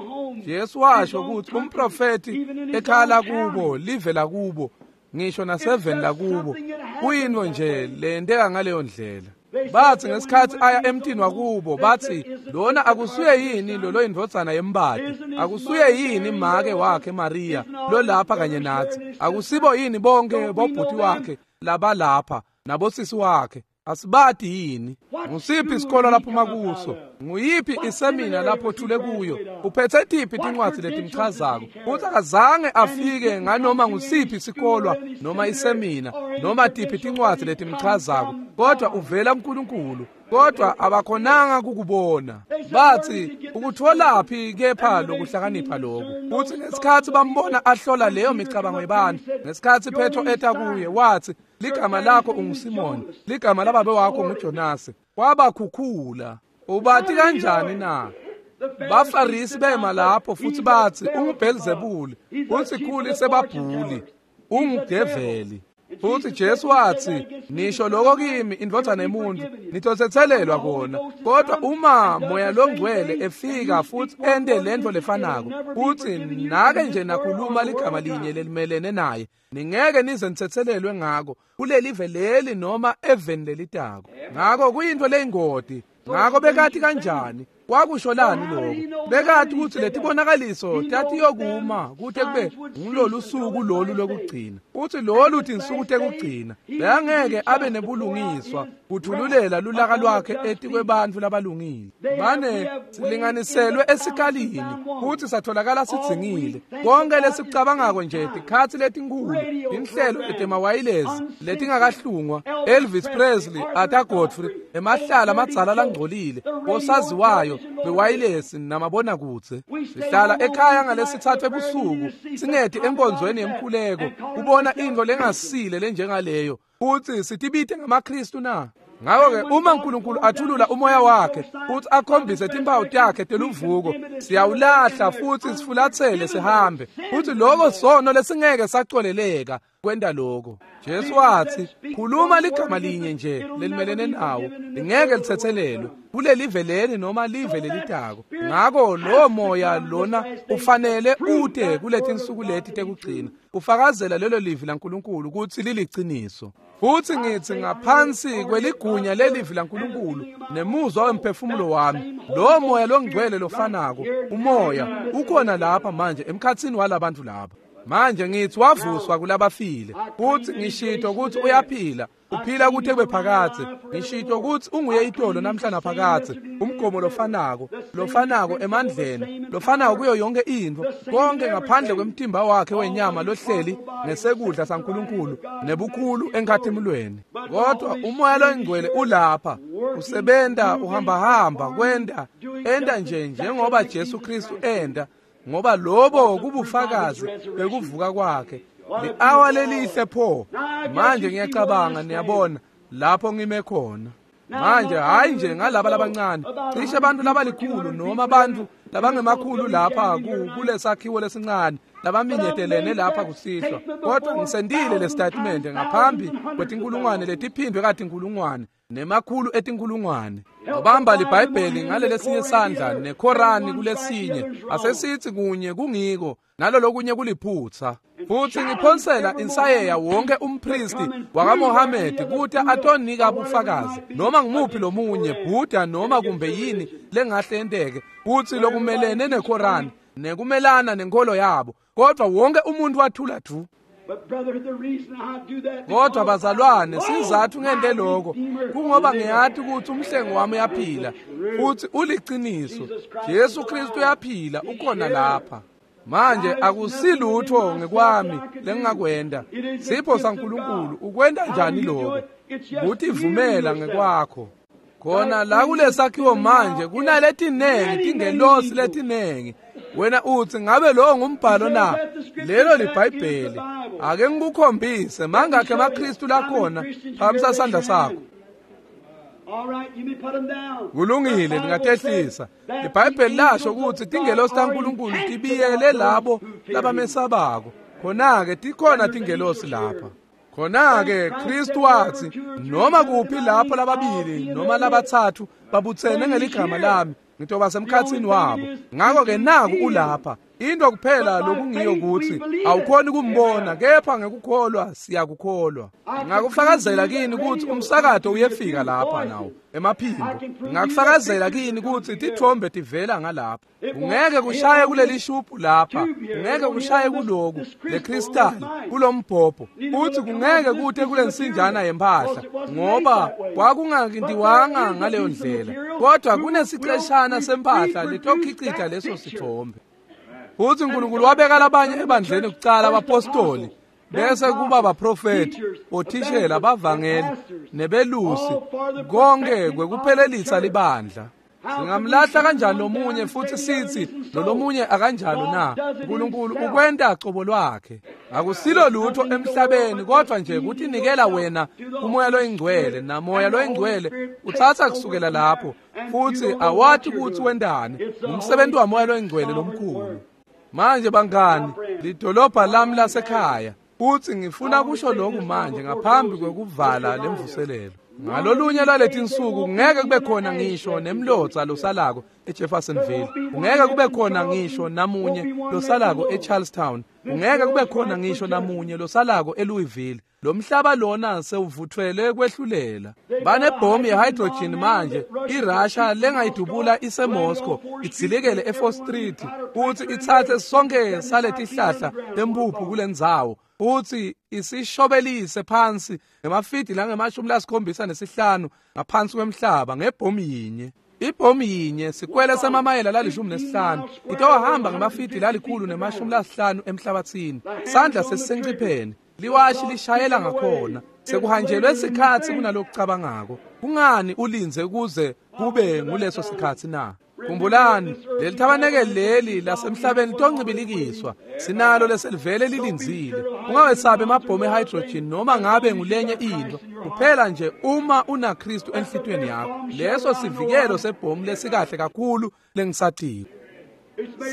Jesu washo kutsi umprofethi ekhaya lakubo, live lakubo, ngisho naseveni lakubo, kuyintfo nje leyenteka ngaleyo ndlela. Bathi ngesikhatsi aya emtini wakubo, bathi lona akusuye yini lolo indvodzana yembati? Akusuye yini make wakhe Maria lolapha kanye nathi? Akusibo yini bonke bobhuti wakhe labalapha nabosisi wakhe? Asibati yini? Ngusiphi isikolo laphuma kuso? Nguyiphi isemina lapho thule kuyo? Uphethe tiphi tincwadzi letimchazako? Futhi akazange afike nganoma ngusiphi isikolwa noma isemina noma tiphi tincwadzi letimchazako, kodwa uvela kuNkulunkulu. Kodwa abakhonanga kukubona. Bathi ukutholaphi kepha lokuhlakanipha lokhu? Futhi ngesikhatsi bambona ahlola leyo micabango yebantfu, ngesikhatsi Petro eta kuye wathi, ligama lakho unguSimoni, ligama lababe wakho nguJonasi. Wabakhukhula. Ubati kanjani na? Bafarisi bema lapho futhi bathi unguBhelzebuli, usikhulu sebabhuli, ungudeveli. Futhi Jesu wathi, nisho lokho kimi indvodzana yemuntu, nitotsetselelwa kona. Kodwa uma Moya loNgcwele efika futhi ente lento lefanako, futhi nake nje nakhuluma ligama linye lelimelene naye, ningeke nize nitsetselelwe ngako kulelive leli noma eveni lelitako. Ngako kuyintfo leyingoti. Ngako bekati kanjani? Kwakusho lani lokho? Bekati kutsi letibonakaliso tatiyokuma kute kube ngulolu suku lolu lokugcina. Uthi lolu tinsuku tekugcina bekangeke abe nebulungiswa kuthululela lulaka lwakhe etikwebantfu labalungile. Bane silinganiselwe esikalini futhi satholakala sidzingile. Konke lesikucabangako nje tikhatsi letinkhulu, tinhlelo letemawayilezi letingakahlungwa, Elvis Presley, Arthur Godfrey, emahlala amadzala langcolile, osaziwayo bewayilesi namabonakudze. Sihlala ekhaya ngalesithathu ebusuku singeti enkonzweni yemkhuleko kubona intfo lengasile lenjengaleyo, futhi sitibite ngamaKristu na? Ngakho-ke uma uNkulunkulu athulula umoya wakhe futhi akhombise timpawu takhe teluvuko, siyawulahla futhi sifulathele sihambe. Futhi lokho sono lesingeke saxoleleka kwenta lokho. Jesu wathi, khuluma ligama linye nje lelimelene nawo, lingeke lithethelelwe kulelive leli noma live lelitako. Ngakho lowo moya lona ufanele ute kuletinsuku leti tekugcina, ufakazela lelo livi laNkulunkulu ukuthi liliciniso. Futhi ngithi ngaphansi kweligunya lelivi laNkulunkulu nemuzwa wemphefumulo wami, lo moya longcwele lofanako, umoya ukhona lapha manje emkhatsini walabantu lapha. Manje ngithi wavuswa kulabafile, futhi ngishito ukuthi uyaphila, uphila kute kube phakadze. Ngishito ukuthi unguye itolo namhla naphakadze, umgomo lofanako, lofanako emandleni, lofanako kuyo yonke intfo, konke ngaphandle kwemtimba wakhe wenyama lohleli ngesekudla saNkulunkulu nebukhulu enkhathimulweni. Kodwa umoya loyingcwele ulapha, usebenta, uhambahamba, kwenta, enta nje njengoba Jesu Kristu enta, ngoba lobo kubufakazi bekuvuka kwakhe. Li-awa lelihle pho. Manje ngiyacabanga niyabona lapho ngime khona. Manje hayi nje ngalaba labancane, cishe abantu labalikhulu noma abantu labangemakhulu lapha kulesakhiwo lesincane labaminyetelene lapha kusihlwa, kodwa ngisendile le statement ngaphambi kwetinkulungwane letiphindwe katinkulungwane nemakhulu etinkulungwane. Ubamba liBhayibheli ngalelesinye sandla neKorani kulesinye, asesithi kunye kungiko nalolokunye kuliphutsa. Futhi ngiphonsela insayeya wonke umpristi wakaMohamedi ukuthi atonika bufakazi noma ngimuphi lomunye Buddha noma kumbe yini lengahle yenteke futhi lokumelene neKorani nekumelana nenkolo yabo, kodwa wonke umuntu wathula du. Kodwa bazalwane, sizathu ngente lokho kungoba ngiyathi ukuthi umhlengi wami uyaphila futhi uliciniso. Jesu Kristu uyaphila, ukhona lapha. Manje akusilutho ngekwami lengingakwenda, sipho saNkulunkulu. Ukwenta njani lokho? Kutivumela ngekwakho. Khona la kulesakhiwo manje kunaletinengi tingelosi letinengi. Wena uthi ngabe lo ngumbhalo na? Lelo liBhayibheli. Ake ngikukhombise mangakhe emaKristu lakhona, phakamisa sandla sakho. Kulungile, ningatehlisa. IBhayibheli lasho ukuthi tingelosi taNkulunkulu tibiyele labo labamesabako. Khona-ke tikhona tingelosi lapha. Khona-ke Kristu wathi, noma kuphi lapho lababili noma labathathu babuthene ngeligama lami, ngitoba semkhatsini wabo. Ngakho-ke naku ulapha. Into kuphela lokungiyo ukuthi awukhoni kumbona, kepha ngekukholwa siyakukholwa. Ngakufakazela kini ukuthi umsakato uyefika lapha nawo emaphimbo. Ngakufakazela kini ukuthi tithombe tivela ngalapha. Ungeke kushaye kuleli shubhu lapha, ungeke kushaye kuloku le crystal kulombhobho, futhi kungeke kute kulensinjana yempahla, ngoba kwakungakintiwanga ngaleyo ndlela. Kodwa kunesiceshana sempahla letokhicita leso sithombe. Futhi uNkulunkulu wabeka labanye ebandleni kucala abapostoli, bese kuba abaprofeti, othishela, abavangeli nebelusi, konke kwekuphelelisa libandla. Singamlahla kanjani lomunye futhi sithi lolomunye akanjalo na? uNkulunkulu ukwenta cobo lwakhe. Akusilo lutho emhlabeni kodwa nje kutinikela wena kumoya loyingcwele, namoya loyingcwele uthatha kusukela lapho futhi awathi ukuthi wendani. Umsebenzi wamoya loyingcwele lomkhulu. Manje bangani, lidolobha lami lasekhaya, futhi ngifuna kusho lokhu manje ngaphambi kwekuvala lemvuselelo. Ngalolunye lwaletinsuku ngeke kube khona ngisho nemlotsa losalako eJeffersonville, ungeke kube khona ngisho namunye losalako eCharlestown, ungeke kube khona ngisho namunye losalako eLouisville. Lo mhlaba lona sewuvuthwele kwehlulela. Banebhomu ye-hydrogen manje, iRussia lengayidubula iseMoscow, idzilikele e4 Street futhi ithathe sonke saletihlahla tempuphu kulendzawo, futhi isishobelise phansi ngemafidi langama-75 ngaphansi kwemhlaba ngebhomu yinye. Ibhomu yinye sikwele semamayela lali-15 itohamba ngemafidi lali-150 emhlabathini. Sandla sesisencipheni, liwashi lishayela ngakhona. Sekuhanjelwe isikhathi kunalokucabangako. Kungani ulinze kuze kube nguleso sikhathi na? Khumbulani, leli thabanekeli leli lasemhlabeni litoncibilikiswa. Sinalo leselivele lilindzile. Ungawesabi emabhomu ehydrogen noma ngabe ngulenye into. Kuphela nje uma unaKristu enhlitiyweni yakho. Leso sivikelo sebhomu lesikahle kakhulu lengisatiko.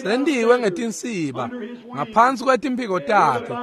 Sendiwe ngetinsiba ngaphansi kwetimphiko takhe.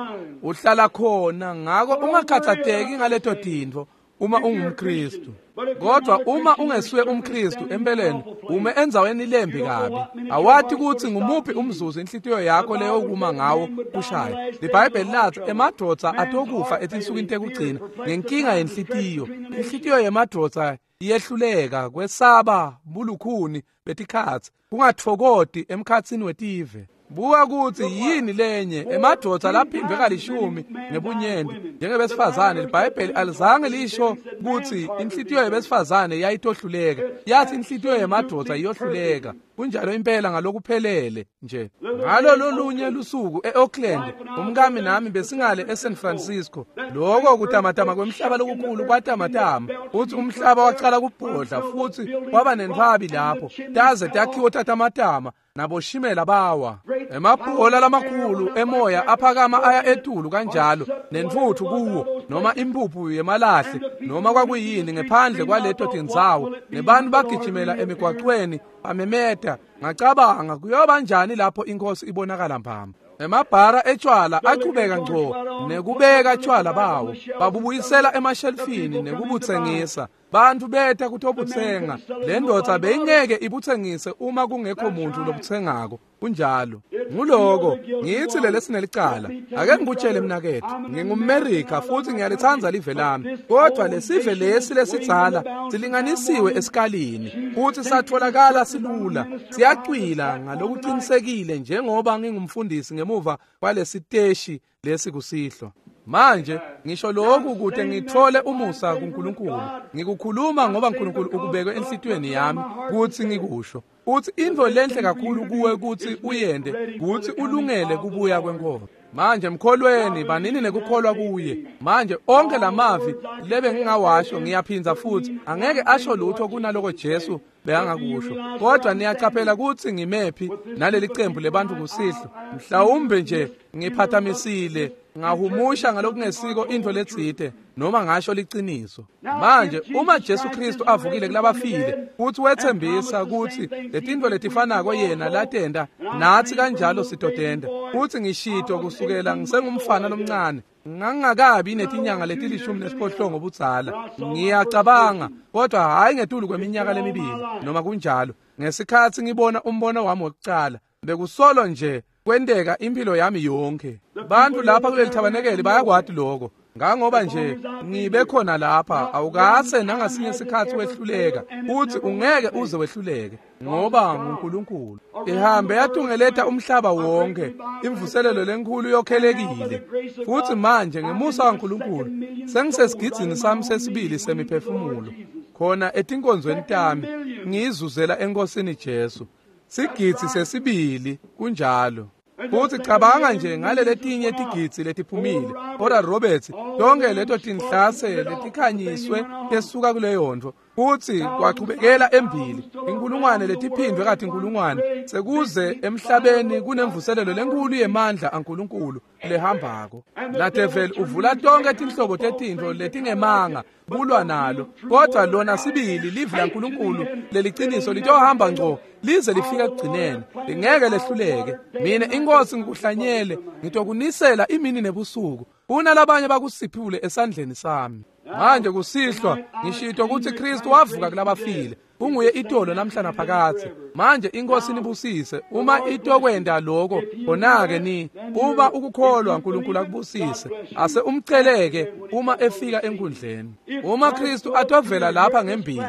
Uhlala khona, ngako ungakhathateki ngaleto tintfo uma ungumKristu. Kodwa uma ungesuye umKristu, empeleni ume endzaweni lembi kabi. Awati kutsi ngumuphi umzuzu inhlitiyo yakho leyokuma ngawo kushaya. LiBhayibheli lathi emadvodza atokufa etinsukwini tekugcina ngenkinga yenhlitiyo. Inhlitiyo yemadvodza iyehluleka kwesaba bulukhuni betikhatsi, kungatfokoti emkhatsini wetive. Buka kutsi yini lenye emadvodza laphindwe kalishumi ngebunyenti njengebesifazane. LiBhayibheli alizange lisho kutsi inhlitiyo yebesifazane yayitohluleka, yathi inhlitiyo yemadvodza iyohluleka. Kunjalo impela ngalokuphelele nje. Ngalo lolunye lusuku e-Oakland, umkami nami besingale eSan Francisco. Lokho kutamatama kwemhlaba lokukhulu kwatamatama, futhi umhlaba wacala kubhodla futhi kwaba nentfwabi lapho taze takhiwo tatamatama naboshimela bawa. Emabhola lamakhulu emoya aphakama aya etulu kanjalo nentfutfu kuwo noma impuphu yemalahle noma kwakuyini ngephandle kwaleto tindzawo, nebantu bagijimela emigwacweni bamemeta. Ngacabanga, kuyoba njani lapho inkosi ibonakala mbamba. Emabhara etshwala achubeka ngco nekubeka tshwala bawo, babubuyisela emashelfini nekubutsengisa. Bantu beta kutobutsenga. Le ndvodza beyingeke ibutsengise uma kungekho muntu lobutsengako. Kunjalo. Nguloko ngitsi lelesinelicala. Ake ngikutshele mnaketfu, ngingumMerika futhi ngiyalitsandza live lami, kodwa lesive lesi lesidzala silinganisiwe esikalini futhi satholakala silula. Siyacwila ngalokuqinisekile njengoba ngingumfundisi ngemuva kwalesiteshi lesi kusihlwa. Manje ngisho lokhu kute ngithole umusa kuNkulunkulu. Ngikukhuluma ngoba uNkulunkulu ukubeke enhlitiyweni yami kutsi ngikusho. Uthi intfo lenhle kakhulu kuwe kutsi uyende kutsi ulungele kubuya kwenkosi. Manje mkholweni, banini nekukholwa kuye. Manje onke lamavi lebe ngingawasho ngiyaphindza futhi angeke asho lutho kunaloko Jesu bekangakusho. Kodwa niyacaphela kutsi ngimephi naleli cembu lebantu kusihlwa. Mhlawumbe nje ngiphathamisile ngahumusha ngalokungesiko intfo letsite noma ngasho liciniso. Manje uma Jesu Kristu avukile kulabafile futhi wethembisa kutsi letintfo letifanako yena latenta natsi kanjalo sitotenta, futhi ngishito kusukela ngisengumfana lomncane ngangakabi netinyanga leti-18 budzala, ngiyacabanga, kodwa hhayi ngetulu kweminyaka lemibili noma kunjalo, ngesikhatsi ngibona umbono wami wokucala bekusolo nje kwenteka impilo yami yonke. Bantu lapha kuleli thabanekeli bayakwati lokho. Ngangoba nje ngibe khona lapha, awukase nangasinye isikhathi wehluleka, uthi ungeke uze wehluleke ngoba nguNkulunkulu. Ihambe yatungeleta umhlaba wonke, imvuselelo lenkulu yokhelekile. Futhi manje ngemusa kaNkulunkulu sengisesigidzini sami sesibili semiphefumulo khona etinkonzweni tami ngiyizuzela enkosini Jesu. Sigidzi sesibili kunjalo. Futhi cabanga nje ngalele tinye tigidzi letiphumile. Oral Roberts, tonke leto tinhlase letikhanyiswe tesuka kuleyo ntfo. Futhi kwachubekela embili inkulungwane letiphindwe kati inkulungwane sekuze emhlabeni kunemvuselelo lenkulu yemandla aNkulunkulu lehambako. La devil uvula tonke tinhlobo tetintfo letingemanga kulwa nalo, kodwa lona sibili livi laNkulunkulu leliciniso litohamba ngco lize lifike ekugcineni, lingeke lehluleke. Mina inkosi ngikuhlanyele, ngitokunisela imini nebusuku, kunalabanye bakusiphule esandleni sami. Manje kusihlwa ngishito ukuthi Kristu wavuka kulabafile, unguye itolo namhla naphakadze. Manje inkosi nibusise. Uma itokwenda lokho, khona-ke ni uma ukukholwa uNkulunkulu akubusise. Ase umceleke uma efika enkundleni. Uma Kristu atovela lapha ngembili,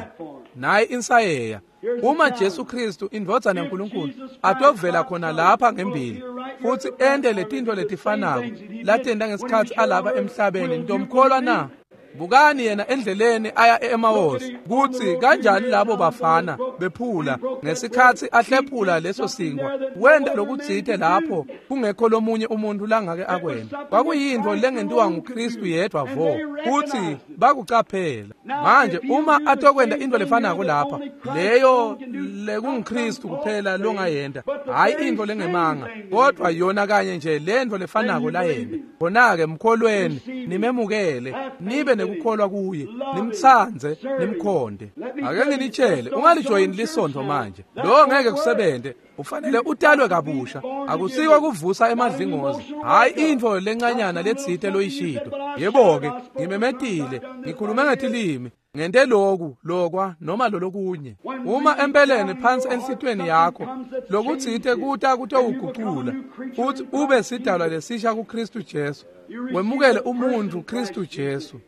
naye insayeya. Uma Jesu Kristu indvodzana yaNkulunkulu atovela khona lapha ngembili futhi ente letintfo letifanako latenta ngesikhatsi alapha emhlabeni, nitomkholwa na? Bukani yena endleleni aya e-Emawusi, kutsi kanjani labo bafana bephula ngesikhatsi ahlephula leso sinkwa. Wenta lokutsite lapho kungekho lomunye umuntu langake akwenta. Kwakuyintfo lengentiwa nguKristu yedwa vo, kutsi bakucaphela. Manje uma atokwenta intfo lefanako lapha, leyo lekunguKristu kuphela longayenta, hhayi intfo lengemanga, kodwa yona kanye nje lentfo lefanako layenta. Khona-ke mkholweni, nimemukele, nibe nekukholwa kuye, nimtsandze, nimkhonde. Ake nginitshele, ungalijoyini lisontfo manje. Lo ngeke kusebente. Ufanele utalwe kabusha. Akusiko kuvusa emadlingozi, hhayi intfo lencanyana letsite loyishito. Yebo-ke, ngimemetile, ngikhulume ngetilimi, ngente loku, lokwa, noma lolokunye. Uma empeleni phansi enhlitiyweni yakho lokutsite kuta kutowugucula, futhi ube sidalwa lesisha kuKristu Jesu, wemukele umuntfu Kristu Jesu.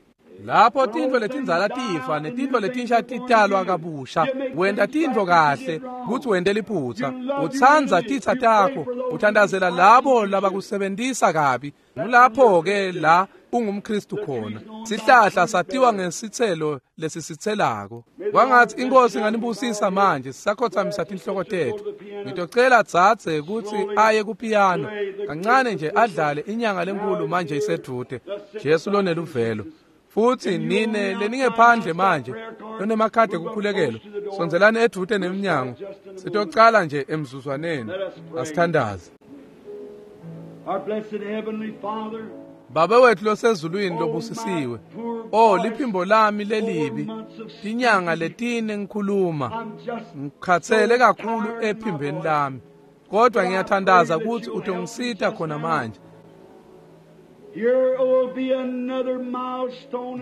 Lapho tintfo letindzala tifa netintfo letinsha titalwa kabusha, wenta tintfo kahle kutsi wente liphutsa. Utsandza titsa takho, uthandazela labo labakusebentisa kabi. Ngulapho-ke la ungumKristu khona. Sihlahla satiwa ngesitselo lesisitselako. Kwangatsi iNkhosi inganibusisa manje sisakhotsamisa tinhloko tetfu. Ngitocela dzadze kutsi aye kupiyano kancane nje adlale inyanga lenkulu manje isedvute, Jesu loneluvelo. Futhi nine leningephandle manje lonemakhadi ekukhulekelwa, sondzelani edvute nemnyango. Sitocala nje emzuzwaneni. Asithandaze. Baba wethu losezulwini lobusisiwe, oh liphimbo lami lelibi, tinyanga letine ngikhuluma, ngikhatsele kakhulu ephimbeni lami, kodwa ngiyathandaza ukuthi utongisita khona manje.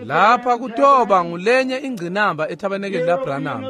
Lapha kutoba ngulenye ingcinamba ethabanekeli laBranham.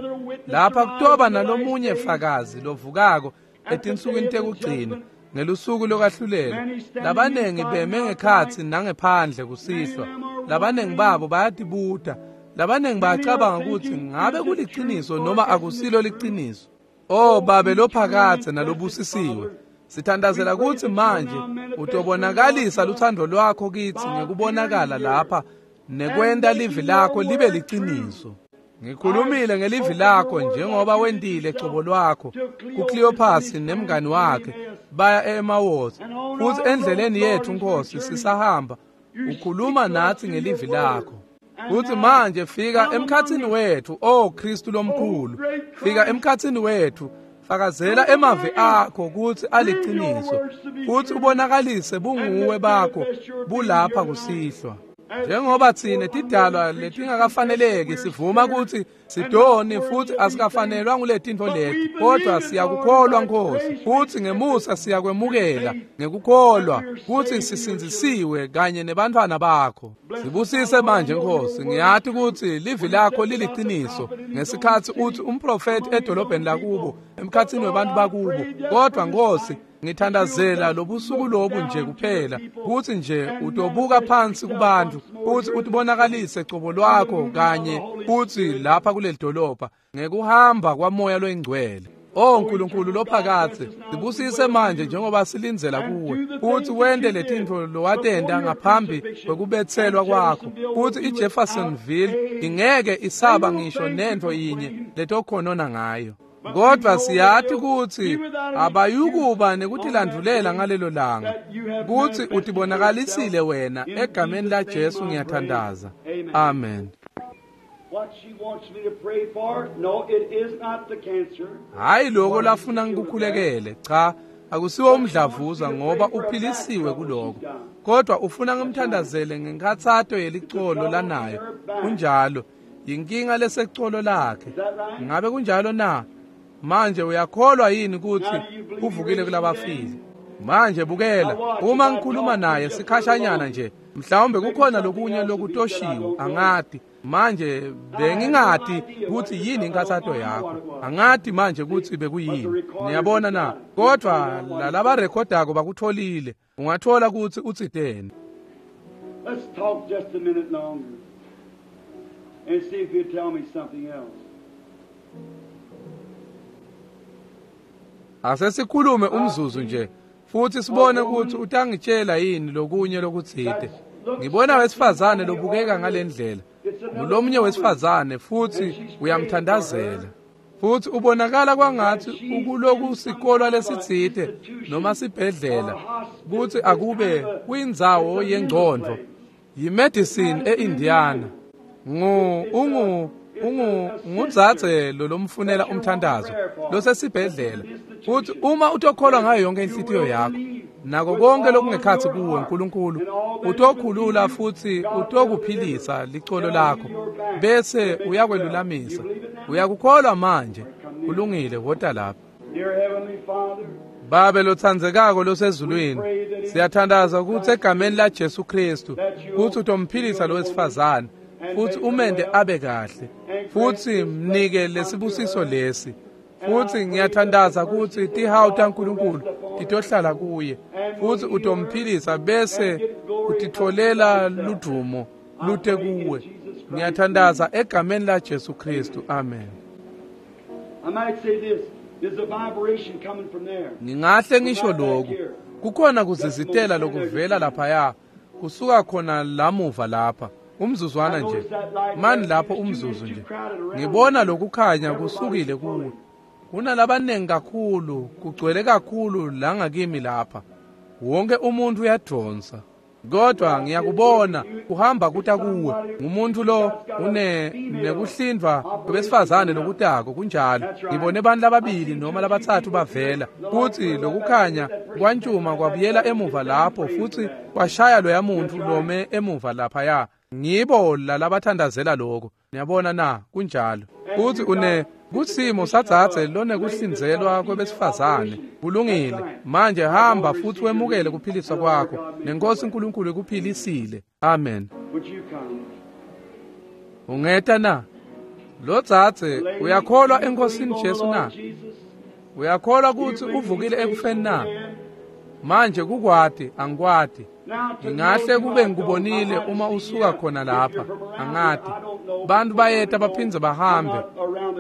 Lapha kutoba nalomunye fakazi lovukako etinsukwini tekugcina ngelusuku lokwahlulela. Labanengi beme ngekhatsi nangephandle kusihlwa. Labanengi babo bayatibuta. Labanengi bayacabanga ukuthi ngabe kuliciniso noma akusilo liciniso. Oh Babe lophakadze nalobusisiwe, sithandazela kutsi manje utobonakalisa luthando lwakho kitsi ngekubonakala lapha nekwenta livi lakho libe liciniso. Ngikhulumile ngelivi lakho njengoba wentile cobo lwakho kuCleopas nemngani wakhe baya e-Emawusi. Futhi endleleni yethu Nkosi sisahamba ukhuluma nathi ngelivi lakho. Futhi manje fika emkhatsini wethu, oh Kristu lomkhulu, fika emkhatsini wethu. Fakazela emavi akho kutsi aliciniso, futhi ubonakalise bunguwe bakho bulapha kusihlwa. Njengoba tsine tidalwa letingakafaneleki sivuma kutsi sidoni futhi asikafanelwa nguletintfo leti, kodwa siyakukholwa Nkosi, futhi ngemusa siyakwemukela ngekukholwa kutsi sisindzisiwe kanye nebantfwana bakho. Sibusise manje Nkosi. Ngiyati kutsi livi lakho liliciniso ngesikhatsi uthi umprofeti edolobheni lakubo emkhatsini webantu bakubo, kodwa Nkosi ngithandazela lobusuku lobu nje kuphela kutsi nje utobuka phansi kubantu futhi utibonakalise cobo lwakho kanye futsi lapha kuleli dolobha ngekuhamba kwamoya loyingcwele. Oh Nkulunkulu lophakadze, sibusise manje njengoba silindzela kuwe futhi wente letintfo lowatenta ngaphambi kwekubetselwa kwakho, futhi iJeffersonville ingeke isaba ngisho nentfo yinye letokhonona ngayo. Kodwa siyati kutsi abayukuba nekutilandulela ngalelo langa, kutsi utibonakalisile wena. Egameni la Jesu ngiyathandaza. Amen. Hayi lokho lafuna ngikukhulekele, cha, akusiwo umdlavuza ngoba uphilisiwe kuloko, kodwa ufuna ngimthandazele ngenkhatsato yelicolo lanayo. Kunjalo, yinkinga lesecolo lakhe. Ngabe kunjalo na? Manje uyakholwa yini kutsi uvukile kulabafile? Manje bukela, uma ngikhuluma naye sikhashanyana nje, mhlawumbe kukhona lokunye lokutoshiwe, angati. Manje bengingati kutsi yini inkhatsato yakho, angati manje kutsi bekuyini. Niyabona na? Kodwa lalabarekhodako bakutholile. Ungathola kutsi utsiteni. Let's talk just a minute longer and see if you'll tell me something else. Asesikhulume umzuzu nje futhi sibone ukuthi utangitshela yini lokunye lokutsite. Ngibona wesifazane lobukeka ngalendlela. Ngulomunye wesifazane futhi uyamthandazela. Futhi ubonakala kwangathi ukuloku sikolwa lesitsite noma sibhedlela kuthi akube kwindzawo yengcondvo. Yimedicine eIndiana. Ngudzadze lo lomfunela umthandazo losesibhedlela. Futhi uma utokholwa ngayo yonke inhlitiyo yakho nako konke lokungekhatsi kuwe uNkulunkulu utokhulula futhi utokuphilisa licolo lakho bese uyakwelulamisa. Uyakukholwa manje? Kulungile, wota lapha. Babe lotsandzekako losezulwini, siyathandaza ukuthi egameni la Jesu Kristu kuthi utomphilisa lo wesifazane futhi umende abe kahle futhi mnike lesibusiso lesi. Futhi ngiyathandaza ukuthi tihawu taNkulunkulu titohlala kuye futhi utomphilisa bese utitholela ludumo lute kuwe. Ngiyathandaza egameni la Jesu Kristu, amen. Ngingahle ngisho lokhu, kukhona kuzizitela lokuvela laphaya kusuka khona lamuva lapha. Umzuzwana nje, mani lapho umzuzu nje. Ngibona lokukhanya kusukile kuwe. Kunalabanengi kakhulu, kugcwele kakhulu la ngakimi lapha. Wonke umuntu uyadonsa. Kodwa ngiyakubona kuhamba kuta kuwe. Ngumuntu lo une nekuhlindwa kwebesifazane lokutako kunjalo. Ngibone abantu lababili noma labathathu bavela. Kuthi lokukhanya kwantshuma kwabuyela emuva lapho futhi kwashaya loya muntu lome emuva laphaya. Ngibo lalabathandazela lokho. Niyabona na? Kunjalo. Kuthi une kusimo sadzadze lonekuhlinzelwa kwebesifazane. Kulungile. Manje hamba futhi wemukele kuphiliswa kwakho. Nenkosi uNkulunkulu ikuphilisile. Amen. Ungeta na? Lo dzadze uyakholwa eNkosini Jesu na? Uyakholwa ukuthi uvukile ekufeni na? Manje kukwati angikwati. Ngingahle kube ngikubonile uma usuka khona lapha, angati. Bantu bayeta baphindze bahambe.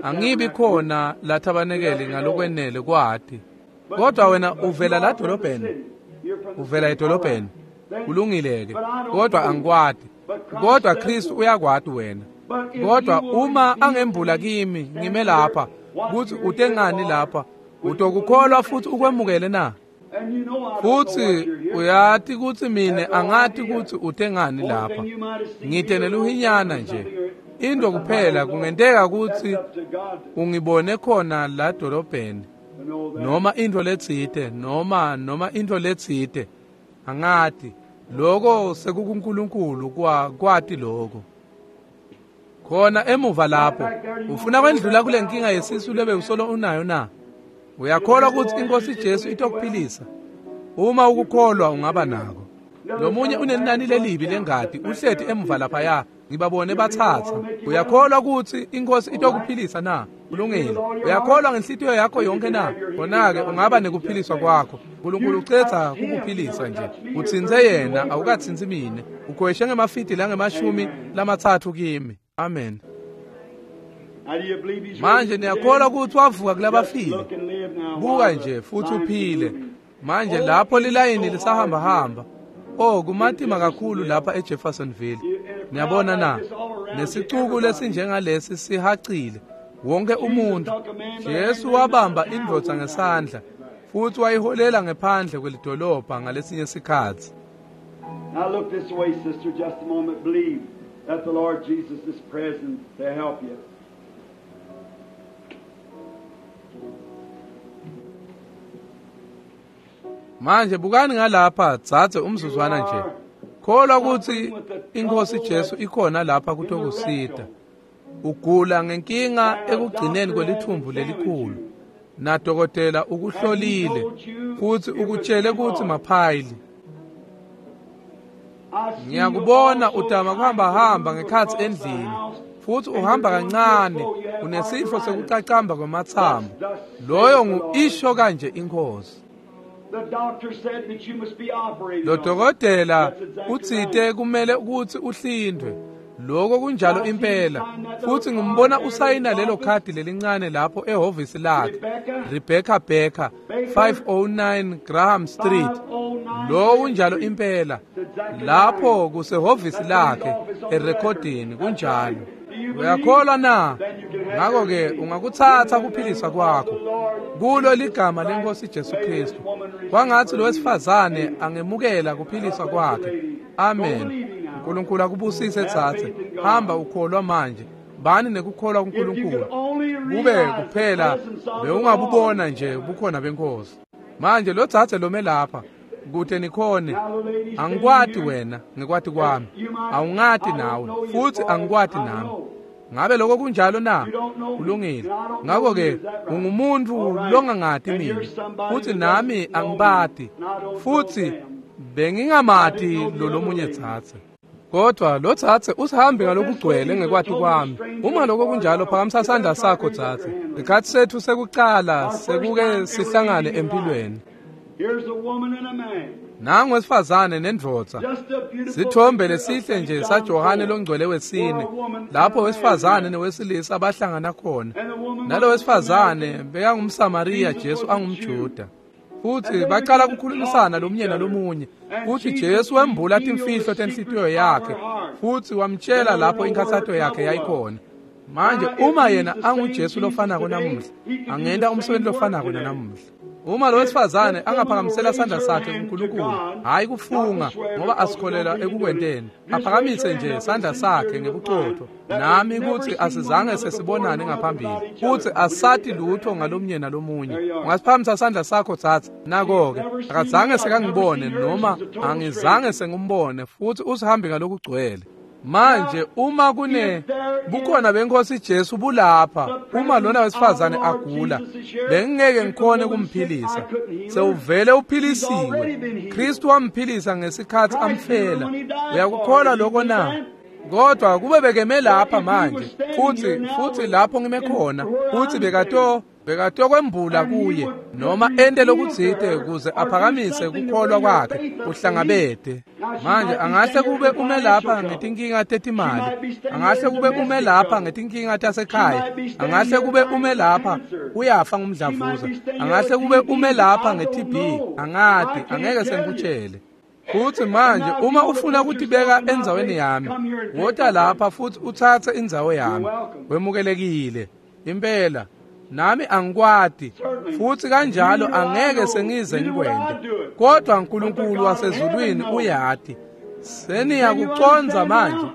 Angibi khona lathabanekele ngalokwenele kwati. Kodwa wena uvela la dolobheni. Uvela edolobheni. Kulungile ke. Kodwa angikwati. Kodwa Kristu uyakwati wena. Kodwa uma angembula kimi ngime lapha kuthi utengani lapha, utokukholwa futhi ukwemukele na? Futhi uyati ukuthi mine angati ukuthi utengani lapha. Ngite neluhinyana nje. Into kuphela kungenteka ukuthi ungibone khona la dolobheni noma into letsite noma into letsite. Angati. Lokho sekukuNkulunkulu kwati lokho. Khona emuva lapho ufuna kwendlula kule nkinga yesisu lebe usolo unayo na? Uyakholwa ukuthi inkosi Jesu itokuphilisa? Uma ukukholwa ungaba nako. Lomunye unenani lelibi lengadi uhleti emuva laphaya, ngibabone bathatha. Uyakholwa ukuthi inkosi itokuphilisa na? Kulungile. Uyakholwa ngenhlitiyo yakho yonke na? Khona-ke ungaba nekuphiliswa kwakho. uNkulunkulu ucetha kukuphilisa nje. Utsintse yena, awukatsintsi mine. Ukhweshe ngemafidi langama-30 kimi. Amen. Manje niyakholwa ukuthi wavuka kulabafile? Buka nje futhi uphile. Manje lapho lilayini lisahamba hamba. Oh, kumatima kakhulu lapha eJeffersonville. Niyabona na? Nesicuku lesinjengalesi sihacile. Wonke umuntu. Jesu wabamba indvodza ngesandla futhi wayiholela ngephandle kwelidolobha ngalesinye sikhatsi. Now look this way, sister, just a moment. Believe that the Lord Jesus is present to help you. Manje bukani ngalapha dzadze umzuzwana nje. Kholwa ukuthi inkosi Jesu ikhona lapha kutokusita. Ugula ngenkinga ekugcineni kwelithumbu lelikhulu. Nadokotela ukuhlolile futhi ukutshele ukuthi maphayili. Ngiyakubona utama kuhamba hamba ngekhatsi endlini futhi uhamba kancane, unesifo sekucacamba kwemathambo. Loyo ngu-isho kanje inkosi. Lo dokotela utsite kumele ukuthi uhlindwe. Lokho kunjalo impela. Futhi ngimbona usayina lelo khadi lelincane lapho ehhovisi lakhe. Rebecca Becker, 509 Graham Street. Lo kunjalo impela. Lapho kusehhovisi lakhe erekhodini kunjalo. Uyakholwa na? Ngakho-ke ungakutsatsa kuphilisa kwakho kulo ligama lenkosi Jesu Kristu. Kwangatsi lo wesifazane angemukela kuphiliswa kwakhe. Amen. uNkulunkulu akubusise tsatse. Hamba ukholwa manje. Bani nekukholwa kuNkulunkulu. Kube kuphela bewungabubona nje ubukhona benkosi. Manje lo tsatse lome lapha kute nikhone. Angikwati wena ngikwati kwami. Awungati nawe futhi angikwati nami. Ngabe lokho kunjalo na? Kulungile. Ngakho-ke ungumuntu longangati mina futhi nami angibati futhi bengingamati lo lomunye tsatse. Kodwa lo tsatse usihambe ngalokugcwele ngekwati kwami. Uma lokho kunjalo phakamisa sandla sakho tsatse. Isikhathi sethu sekucala sekuke sihlangane empilweni. Nangu wesifazane nendvodza. Sithombe lesihle nje saJohane longcwele wesine lapho wesifazane newesilisa bahlangana khona. Nalo wesifazane bekangumSamariya, Jesu angumJuda. Futhi baqala ukukhulumisana lomunye nalomunye. Futhi Jesu wembula timfihlo tenhlitiyo yakhe futhi wamtshela lapho inkathato yakhe yayikhona. Manje uma yena anguJesu lofanako namuhla, angenta umsebenzi lofanako nanamuhla. Uma lo wesifazane angaphakamisela sandla sakhe kuNkulunkulu, hayi kufunga ngoba asikholelwa ekukwenteni, aphakamise nje sandla sakhe ngebuqotho nami kuthi asizange sesibonane ngaphambili futhi asati lutho ngalomnye nalomunye. Ungasiphakamisa sandla sakho tsatsa. Nako-ke akazange sekangibone noma angizange sengumbone futhi usihambe ngalokugcwele. Manje uma kune bukhona benkosi Jesu bulapha, uma lona wesifazane agula, bengingeke ngikhone kumphilisa. Sewuvele uphilisiwe. Kristu wamphilisa ngesikhathi amfela. Uyakukholwa lokho na? Kodwa kube bekeme lapha manje futhi lapho ngime khona futhi bekatokwembula kuye noma ente lokutsite ukuze aphakamise kukholwa kwakhe kuhlangabete. Manje angahle kube ume lapha ngetinkinga tetimali, angahle kube ume lapha ngetinkinga tasekhaya, angahle kube ume lapha uyafa ngumdlavuza, angahle kube ume lapha nge-TB, angati, angeke sengikutshele. Futhi manje uma ufuna ukutibeka endzaweni yami, wota lapha futhi utsatse indzawo yami. Wemukelekile impela. Nami angikwati futhi kanjalo angeke sengize ngikwente, kodwa uNkulunkulu wasezulwini uyati. Seniyakucondza manje.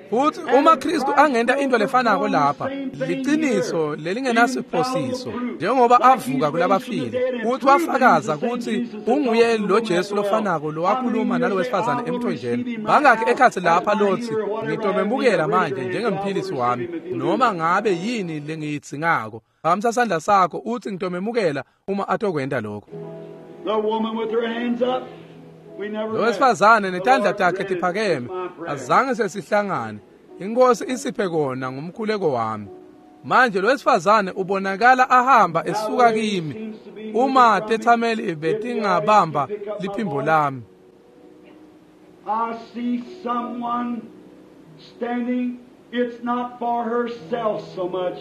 Futhi uma Kristu angenta into lefanako lapha, liciniso lelingenasiphosiso, njengoba avuka kulabafile futhi wafakaza ukuthi unguye lo Jesu lofanako lowakhuluma nalo wesifazane emthonjeni. Bangakhi ekhatsi lapha lothi ngitomemukela manje njengemphilisi wami noma ngabe yini lengiyidzingako? Phakamisa sandla sakho uthi ngitomemukela uma atokwenta lokho. Lo wesifazane netandla takhe tiphakeme, azange sesihlangane. Inkosi isiphe kona ngumkhuleko wami. Manje lo wesifazane ubonakala ahamba esuka kimi. Uma tethameli betingabamba liphimbo lami. I see someone standing. It's not for herself so much.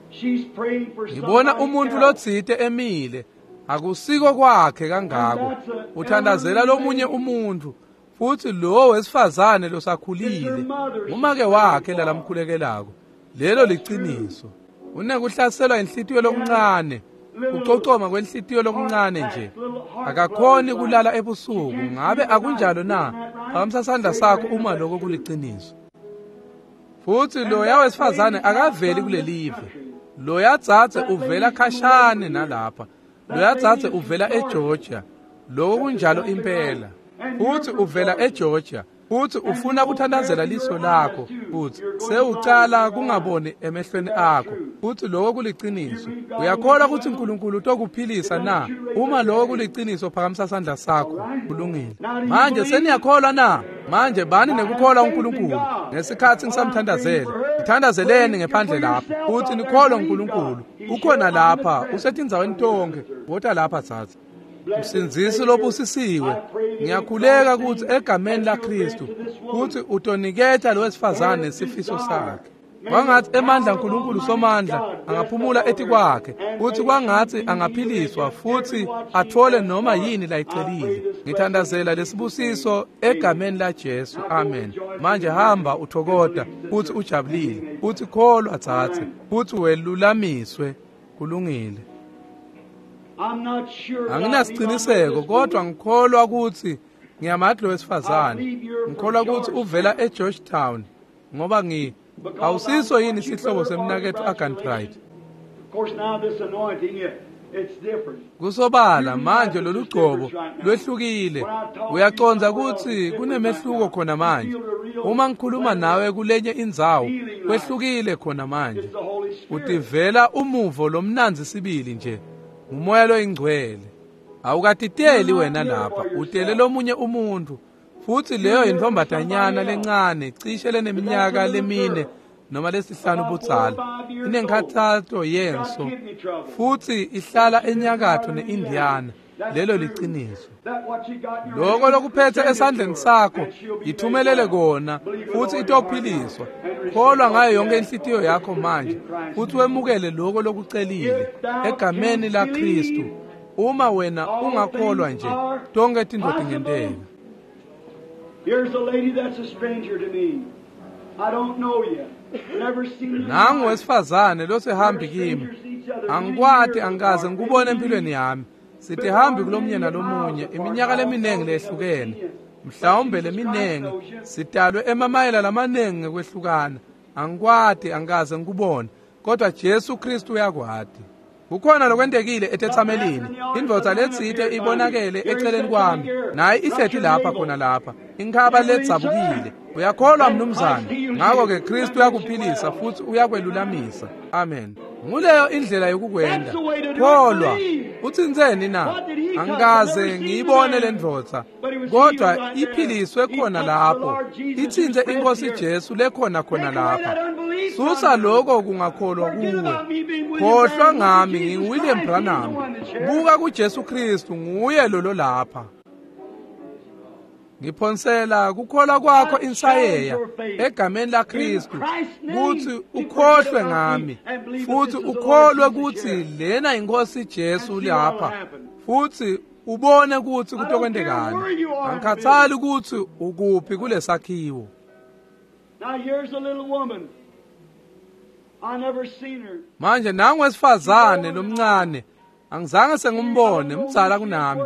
She's praying for Ngibona umuntu lotsite emile. Akusiko kwakhe kangako. Uthandazela lomunye umuntu futhi lo wesifazane losakhulile umake wakhe lalamkhulekelako. Lelo liciniso. Unekuhlaselwa inhlitiyo lokuncane, kucocoma kwenhlitiyo lokuncane nje. Akakhoni kulala ebusuku. Ngabe akunjalo na? Phakamisa sandla sakho uma lokho kuliciniso. Futhi loya wesifazane akaveli kulelive. Loya dzadze uvela khashane nalapha. Loya dzadze uvela eGeorgia. Lokho kunjalo impela. Futhi uvela eGeorgia. Futhi ufuna kuthandazela liso lakho futhi sewucala kungaboni emehlweni akho. Futhi lokho kuliciniso. Uyakholwa ukuthi uNkulunkulu utokuphilisa na? Uma lokho kuliciniso phakamisa sandla sakho. Kulungile. Manje seniyakholwa na? Manje bani nekukholwa uNkulunkulu ngesikhathi ngisamthandazela. Ngithandazeleni ngephandle lapha. Futhi nikholwe uNkulunkulu. Ukhona lapha, usetindzaweni tonke. Wota lapha tsatsa. Msindzisi lobusisiwe, ngiyakhuleka ukuthi egameni laKristu kuthi utoniketa lo wesifazane sifiso sakhe. Kwangatsi emandla aNkulunkulu Somandla angaphumula etikwakhe, futsi kwangatsi angaphiliswa futsi atfole noma yini layicelile. Ngithandazela lesibusiso egameni laJesu. Amen. Manje hamba uthokota futsi ujabulile, futsi kholwa dzadze, futsi welulamiswe. Kulungile. Anginasiciniseko, kodwa ngikholwa kutsi ngiyamati lo wesifazane. Ngikholwa kutsi uvela eGeorgetown, ngoba awusiso yini sihlobo semnaketfu Arganbright? Kusobala manje lolugcobo lwehlukile. Uyacondza kutsi kunemehluko khona manje. Uma ngikhuluma nawe kulenye indzawo, kwehlukile khona manje. Utivela umuvo lomnandzi sibili nje. Ngumoya loyingcwele. Awukatiteli wena lapha, utele lomunye umuntu. Futsi leyo yintfombatanyana lencane cishe leneminyaka lemine noma lesihlanu budzala, inenkhathato yenso, futsi ihlala enyakatfo ne-Indiana. Lelo liciniso. Loko lokuphethe esandleni sakho yithumelele kona, futsi itophiliswa. Kholwa ngayo yonke inhlitiyo yakho manje, futsi wemukele loko lokucelile egameni laKhristu. Uma wena ungakholwa nje, tonkhe tintfo tingenteka. Here's a lady that's a stranger to me. I don't know you. Never seen you. Nangu wesifazane losihambi kimi. Angikwati, angikaze ngikubone empilweni yami. Sitihambi kulomunye nalomunye iminyaka leminingi lehlukene. Mhlawumbe leminingi sidalwe emamayela lamaningi ngekwehlukana. Angikwati, angikaze ngikubone, kodwa Jesu Kristu uyakwati. Kukhona lokwentekile etetsamelini. Indvodza letsite ibonakele eceleni kwami, naye ihleti lapha khona lapha, inkhaba ledzabukile. Uyakholwa mnumzane? Ngako-ke Kristu uyakuphilisa futsi uyakwelulamisa. Amen. Nguleyo indlela yokukwenda. Kholwa. Utsintseni na? Angikaze ngiyibone le ndvodza, kodwa iphiliswe khona lapho. Itsintse iNkosi Jesu lekhona khona lapha. Susa lokho kungakholwa kuwe. Khohlwa ngami, nginguWilliam Branham. Buka kuJesu Kristu, nguye lolo lapha. Ngiphonsela kukholwa kwakho insayeya egameni laKristu kutsi ukhohlwe ngami, futsi ukholwe kutsi lena iNkosi Jesu lapha, futsi ubone kutsi kutokwentekani. Angikhathali kutsi ukuphi kulesakhiwo. Now here's a little woman. I never seen her. Manje nangu wesifazane lomncane, angizange sengimbone, mdzala kunami.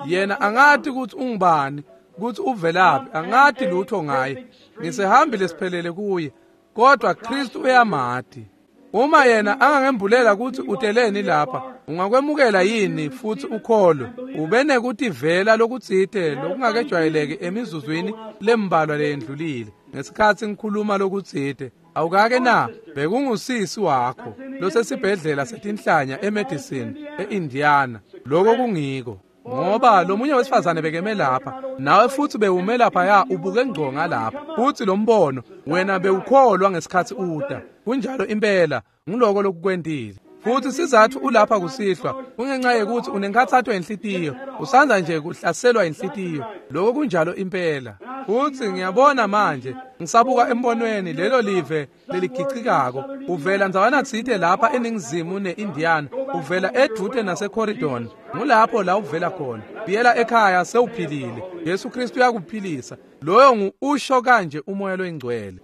Yena angati kutsi ungubani, kutsi uvelaphi, angati lutho ngaye. Ngisehambile siphelele kuye, kodwa Kristu uyamati. Uma yena angangembulela kutsi uteleni lapha, ungakwemukela yini futsi ukholwe? Ube nekutivela lokutsite lokungakejwayeleki emizuzwini lembalwa leyendlulile ngesikhatsi ngikhuluma lokutsite. Awukake na? Bekungusisi wakho losesibhedlela setinhlanya eMedicine eIndiana. Loko kungiko. Ngoba lomunye wesifazane bekeme lapha, nawe futsi bewume laphaya ubuke ngco ngalapha, futsi lo mbono wena bewukholwa ngesikhatsi uta. Kunjalo impela, nguloko lokukwentile. Futsi sizatfu ulapha kusihlwa kungenxa yekutsi unenkhatsato yenhlitiyo, usandza nje kuhlaselwa inhlitiyo. Loko kunjalo impela. Futsi ngiyabona manje, ngisabuka embonweni lelo live leligicikako. Uvela ndzawana tsite lapha eningizimu ne-Indiana, uvela edvute naseCorridon. Ngulapho la uvela khona. Buyela ekhaya sewuphilile. Jesu Kristu uyakuphilisa. Loyo ngu usho kanje umoya loyingcwele.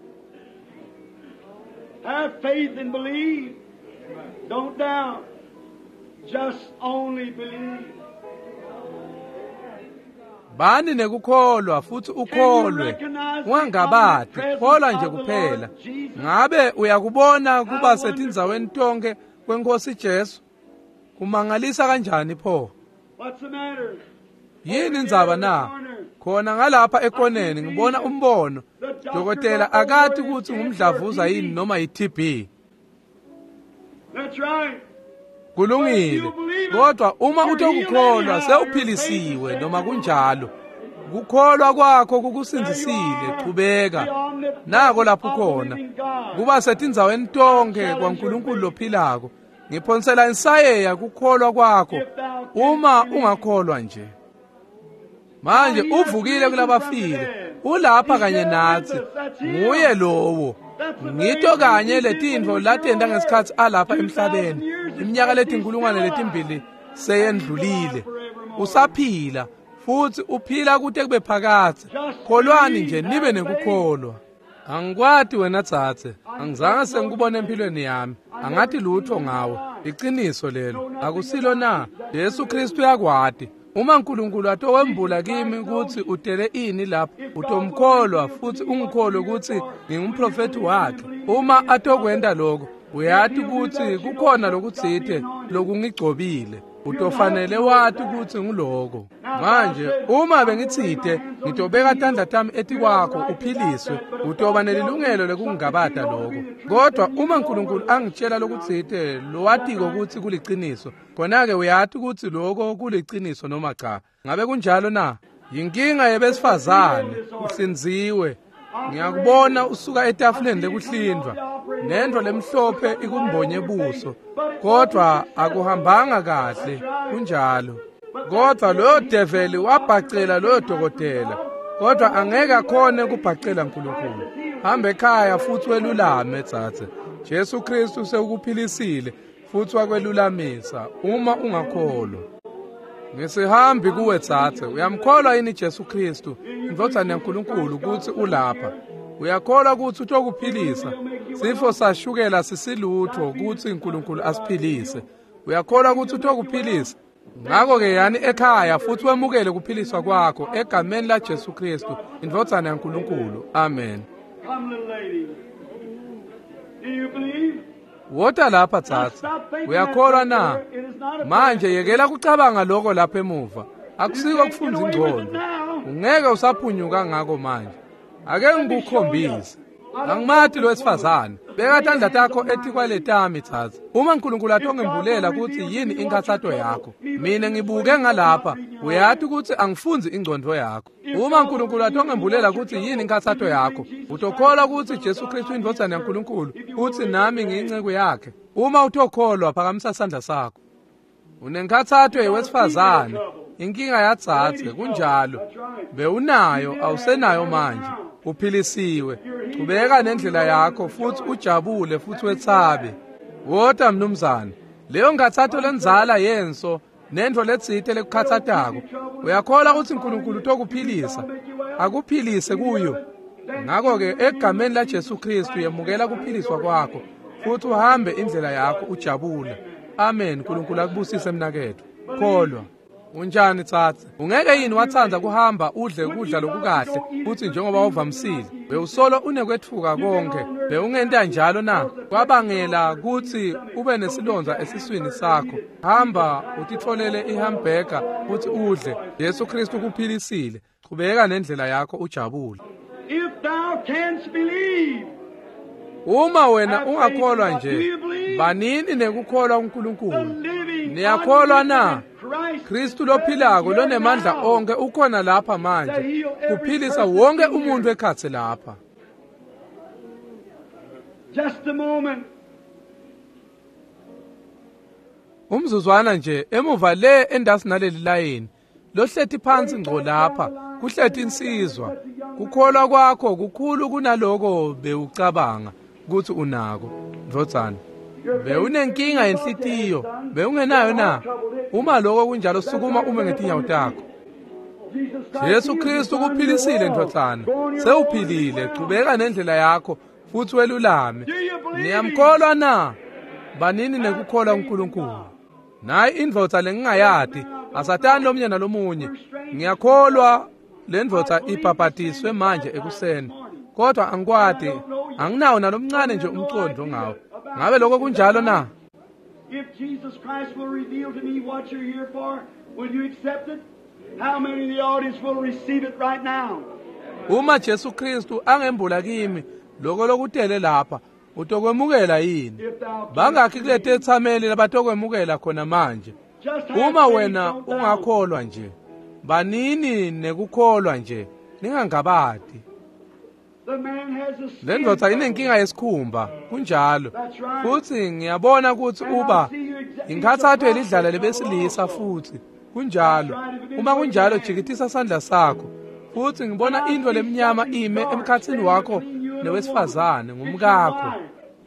Have faith and believe. Don't doubt. Just only believe. Bani nekukholwa futsi ukholwe, ungangabati, kholwa nje kuphela. Ngabe uyakubona kuba setindzaweni tonkhe kweNkosi Jesu? Kumangalisa kanjani pho? What's the matter? Yini indzaba na? Khona ngalapha ekoneni ngibona umbono. Dokotela akati kutsi ngumdlavuza yini noma yi-TB. That's right. Kulungile. Kodwa uma utokukholwa sewuphilisiwe noma kunjalo. Kukholwa kwakho kukusindzisile, chubeka. Nako lapho khona. Kuba setindzaweni tonkhe kwaNkulunkulu lophilako. Ngiphonsela insayeya kukholwa kwakho uma ungakholwa nje. Manje uvukile kulabafile, ulapha kanye natsi. Nguye lowo. Ngito kanye letintfo latenta ngesikhatsi alapha emhlabeni. Iminyaka 2000 seyendlulile. Usaphila futhi uphila kute kube phakadze. Kholwani nje nibe nekukholwa. Angikwati wena dzadze, angizange sengikubone empilweni yami, angathi lutho ngawe. Iqiniso lelo, akusilo na? Jesu Kristu uyakwati. Uma uNkulunkulu atowembula kimi ukuthi utele ini lapha, utomkholwa futhi ungikholwe ukuthi ngingumprofeti wakhe. Uma atokwenta lokho, uyati ukuthi kukhona lokutsite lokungigcobile. Utofanele wati ukuthi nguloko. Manje uma bengitsite ngitobeka tandla tami etikwakho uphiliswe, utoba nelilungelo lekungabata lokho. Kodwa uma uNkulunkulu angitshela lokutsite lowatiko ukuthi kuliciniso, khona-ke uyati ukuthi lokho kuliciniso noma cha. Ngabe kunjalo na? Yinkinga yebesifazane, uhlinziwe. Ngiyakubona usuka etafuleni lekuhlindwa, nento lemhlophe ikumbonye buso, kodwa akuhambanga kahle, kunjalo. Kodwa loyo develi wabhacela loyo dokotela, kodwa angeke akhone ukubhacela uNkulunkulu. Hamba ekhaya futhi welulame dzadze. Jesu Kristu sewukuphilisile futhi wakwelulamisa uma ungakholwa. Ngisihambi kuwe dzadze, uyamkholwa yini Jesu Kristu, indvodzana yaNkulunkulu, ukuthi ulapha? Uyakholwa ukuthi utokuphilisa? Sifo sashukela sisilutho ukuthi uNkulunkulu asiphilise. Uyakholwa ukuthi utokuphilisa? Ngakho-ke yani ekhaya futhi wemukele kuphiliswa kwakho egameni laJesu Kristu, indvodzana yaNkulunkulu. Amen. Come, little lady. Do you believe? Wota lapha dzadze. Uyakholwa na? Manje yekela kucabanga lokho lapha emuva. Akusiko kufundza ingqondo. Ungeke usaphunyuka ngako manje. Ake ngikukhombise. Angimati lo wesifazane. Beka tandla takho etikwaletami dzadze. Uma uNkulunkulu atongembulela ukuthi yini inkathato yakho, mina ngibuke ngalapha, uyati ukuthi angifundzi ingqondo yakho. Uma uNkulunkulu atongembulela ukuthi yini inkathato yakho, utokholwa ukuthi Jesu Kristu indvodzana yaNkulunkulu, uthi nami ngiyinceku yakhe. Uma utokholwa, phakamisa sandla sakho. Unenkathato yewesifazane, inkinga yadzadze, kunjalo. Bewunayo, awusenayo manje. Uphilisiwe. Chubeka nendlela yakho futhi ujabule futhi wetsabe. Wota mnumzane. Leyo nkathato lenzala yenso nento letsite lekukhathatako. Uyakholwa ukuthi uNkulunkulu utokuphilisa? Akuphilise kuyo. Ngakho-ke egameni laJesu Kristu yemukela kuphiliswa kwakho futhi uhambe indlela yakho ujabule. Amen. uNkulunkulu akubusise mnaketfu. Kholwa. Unjani tsatse? Ungeke yini watsandza kuhamba udle ukudla lokukahle futhi njengoba uvamisile? Bewusolo unekwetfuka konke. Bewungenta njalo na? Kwabangela kutsi ube nesilonda esiswini sakho. Hamba utitfolele ihamburger futhi udle. Jesu Kristu kuphilisile. Chubeka nendlela yakho ujabule. If thou canst believe, Uma wena ungakholwa nje, banini nekukholwa uNkulunkulu. Niyakholwa na? Kristu lophilako lonemandla onke ukhona lapha manje, kuphilisa wonke umuntu ekhatsi lapha. Just a moment. Umzuzwana nje emuva le endasi naleli layini, lohleti phansi ngco lapha, kuhleti insizwa. Kukholwa kwakho kukhulu kunaloko bewucabanga ukuthi unako, ndvodzana. Bewunenkinga yenhlitiyo, bewungenayo na? Uma lokho kunjalo, sukuma ume ngetinyawo takho. Jesu Kristu kuphilisile ndvodzana. Sewuphilile, chubeka nendlela yakho futhi welulame. Niyamkholwa na? Banini nekukholwa uNkulunkulu. Nayi indvodza lengingayati, asatani lomunye nalomunye. Ngiyakholwa le ndvodza ibhabhatiswe manje ekuseni, kodwa angikwati, anginawo nalomncane nje umcondo ngawo. Ngabe lokho kunjalo na? If Jesus Christ will reveal to me what you're here for, will you accept it? How many in the audience will receive it right now? Uma Jesu Kristu angembula kimi lokho lokutele lapha, utokwemukela yini? If thou canst Bangakhi kuleti ethameli labatokwemukela khona manje? Just have Uma faith, wena don't doubt. ungakholwa nje, banini nekukholwa nje, ningangabati. The man has a skin Le ndvodza trouble. inenkinga yesikhumba, kunjalo. That's right. Futhi ngiyabona ukuthi And I uba see you inkathatho yelidlala lebesilisa futhi. Kunjalo. Uma kunjalo, jikitisa sandla sakho. Futhi ngibona into lemnyama ime emkhatsini wakho nowesifazane, ngumkakho.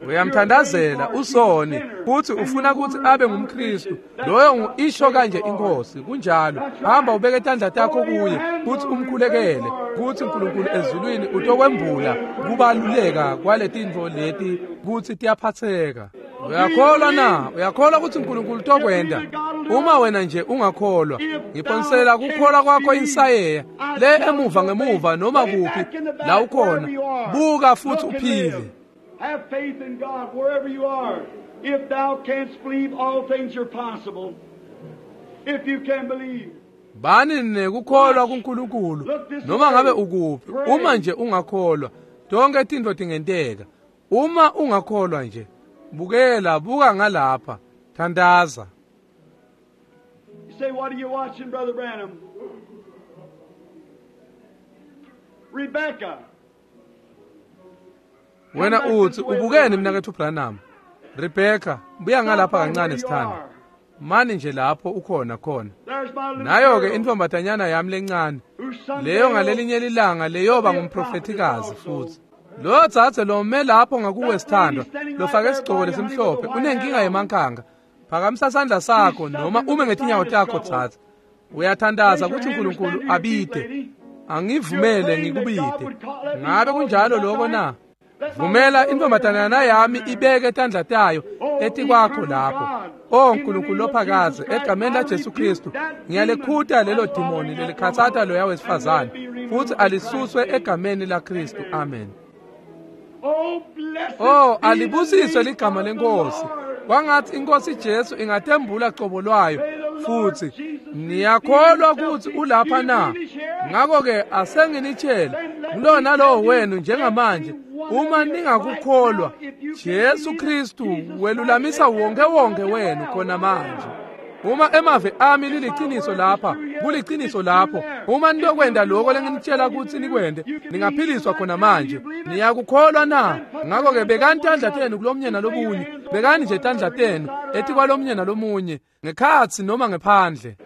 Uyamthandazela usoni futhi ufuna ukuthi abe ngumKristu. Loyo isho kanje inkosi. Kunjalo. Hamba ubeke tandla takho kuye futhi umkhulekele kuthi uNkulunkulu ezulwini utokwembula kubaluleka kwaletintfo leti kutsi tiyaphatheka. Uyakholwa na? Uyakholwa ukuthi uNkulunkulu utokwenda? Uma wena nje ungakholwa, ngiphonsela kukholwa kwakho insayeya le emuva ngemuva noma kuphi la ukhona. Buka futhi uphile. Have faith in God wherever you are. If thou canst believe, all things are possible. If you can believe. Bani nekukholwa kuNkulunkulu noma ngabe ukuphi. Uma nje ungakholwa, tonke tintfo tingenteka. Uma ungakholwa nje, bukela, buka ngalapha, thandaza. You say, what are you watching, Brother Branham? Rebecca. Wena uthi ubukene mnakethu Branham. Rebecca, buya ngalapha kancane sithanda. Mani nje lapho ukhona khona. Nayo ke intombatanyana yami lencane. Leyo ngalelinye ilanga leyoba ngumprofetikazi futhi. Lo dzadze lo me lapho ngakuwe sithandwa, lofake isigcoko lesimhlophe, unenkinga yemankanga. Phakamisa sandla sakho noma ume ngetinyawo takho dzadze. Uyathandaza ukuthi uNkulunkulu abide. Angivumele ngikubide. Ngabe kunjalo lokho na? Vumela intombatanyana yami ibeke tandla tayo etikwakho lapho. O Nkulunkulu lophakaze, egameni laJesu Kristu, ngiyalekhuta lelo dimoni lelikhatsata loya wesifazane futhi alisuswe egameni laKristu. Amen. Oh, alibusiswe ligama lenkosi. Kwangathi inkosi Jesu ingatembula cobo lwayo futhi. Niyakholwa ukuthi ulapha na? Ngakho-ke asenginitshele kulona lowo wenu njengamanje, uma ningakukholwa, Jesu Kristu welulamisa wonke wonke wenu khona manje. Uma emave ami liliciniso lapha, kuliciniso lapho. Uma nitokwenda lokho lenginitshela ukuthi nikwende, ningaphiliswa khona manje. Niyakukholwa na? Ngakho-ke bekani tandla tenu kulomnye nalomunye. Bekani nje tandla tenu etikwalomnye nalomunye, ngekhatsi noma ngephandle.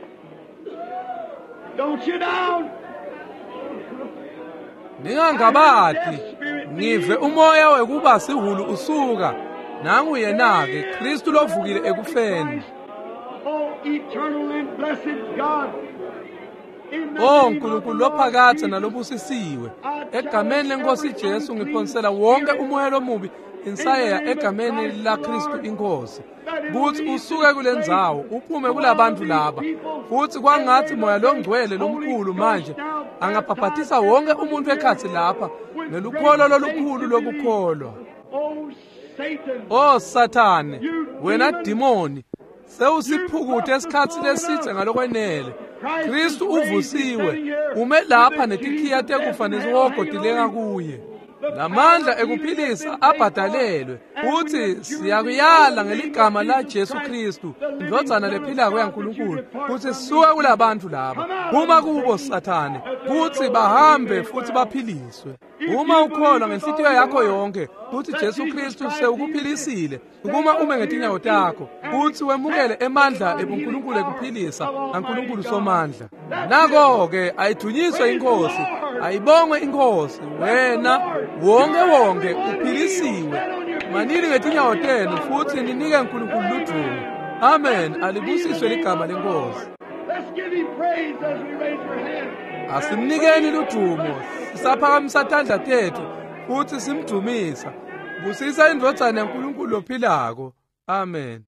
Don't you down. Ningangabati, ngive umoya wekuba sihulu usuka. Nangu yena-ke Kristu lovukile ekufeni. Oh, eternal and blessed God. O Nkulunkulu lophakathe nalobusisiwe, egameni lenkosi Jesu ngiphonsela wonke umoya lomubi insayeya egameni laKristu inkosi, kuthi usuke kulendzawo uphume kulabantu laba. Futhi kwangathi moya longcwele lomkhulu manje angabhabhatisa wonke umuntu ekhatsi lapha ngelukholo lolukhulu lokukholwa. O Sathane, wena dimoni, sewusiphukute esikhatsi lesitse ngalokwenele. Kristu uvusiwe, ume lapha netikhiya tekufa nesihogo tilenga kuye. Lamandla ekuphilisa abhadalelwe. Futhi siyakuyala ngeligama la Jesu Kristu, indvodzana lephilako yaNkulunkulu, kuthi suka kulabantu laba. Phuma kubo Sathane, kuthi bahambe futhi baphiliswe. Uma ukholwa ngenhlitiyo yakho yonke kuthi Jesu Kristu sewukuphilisile, kuma ume ngetinyawo takho, kuthi wemukele emandla ebuNkulunkulu ekuphilisa aNkulunkulu somandla. Nako-ke ayithunyiswe inkosi, ayibongwe inkosi. Wena wonke wonke uphilisiwe. Manini ngetinyawo tenu futhi ninike uNkulunkulu ludumo. Amen. Alibusiswe ligama lenkosi. Asimnikeni ludumo, sisaphakamisa tandla tethu futhi simdumisa. Busisa indvodzana yaNkulunkulu lophilako. Amen.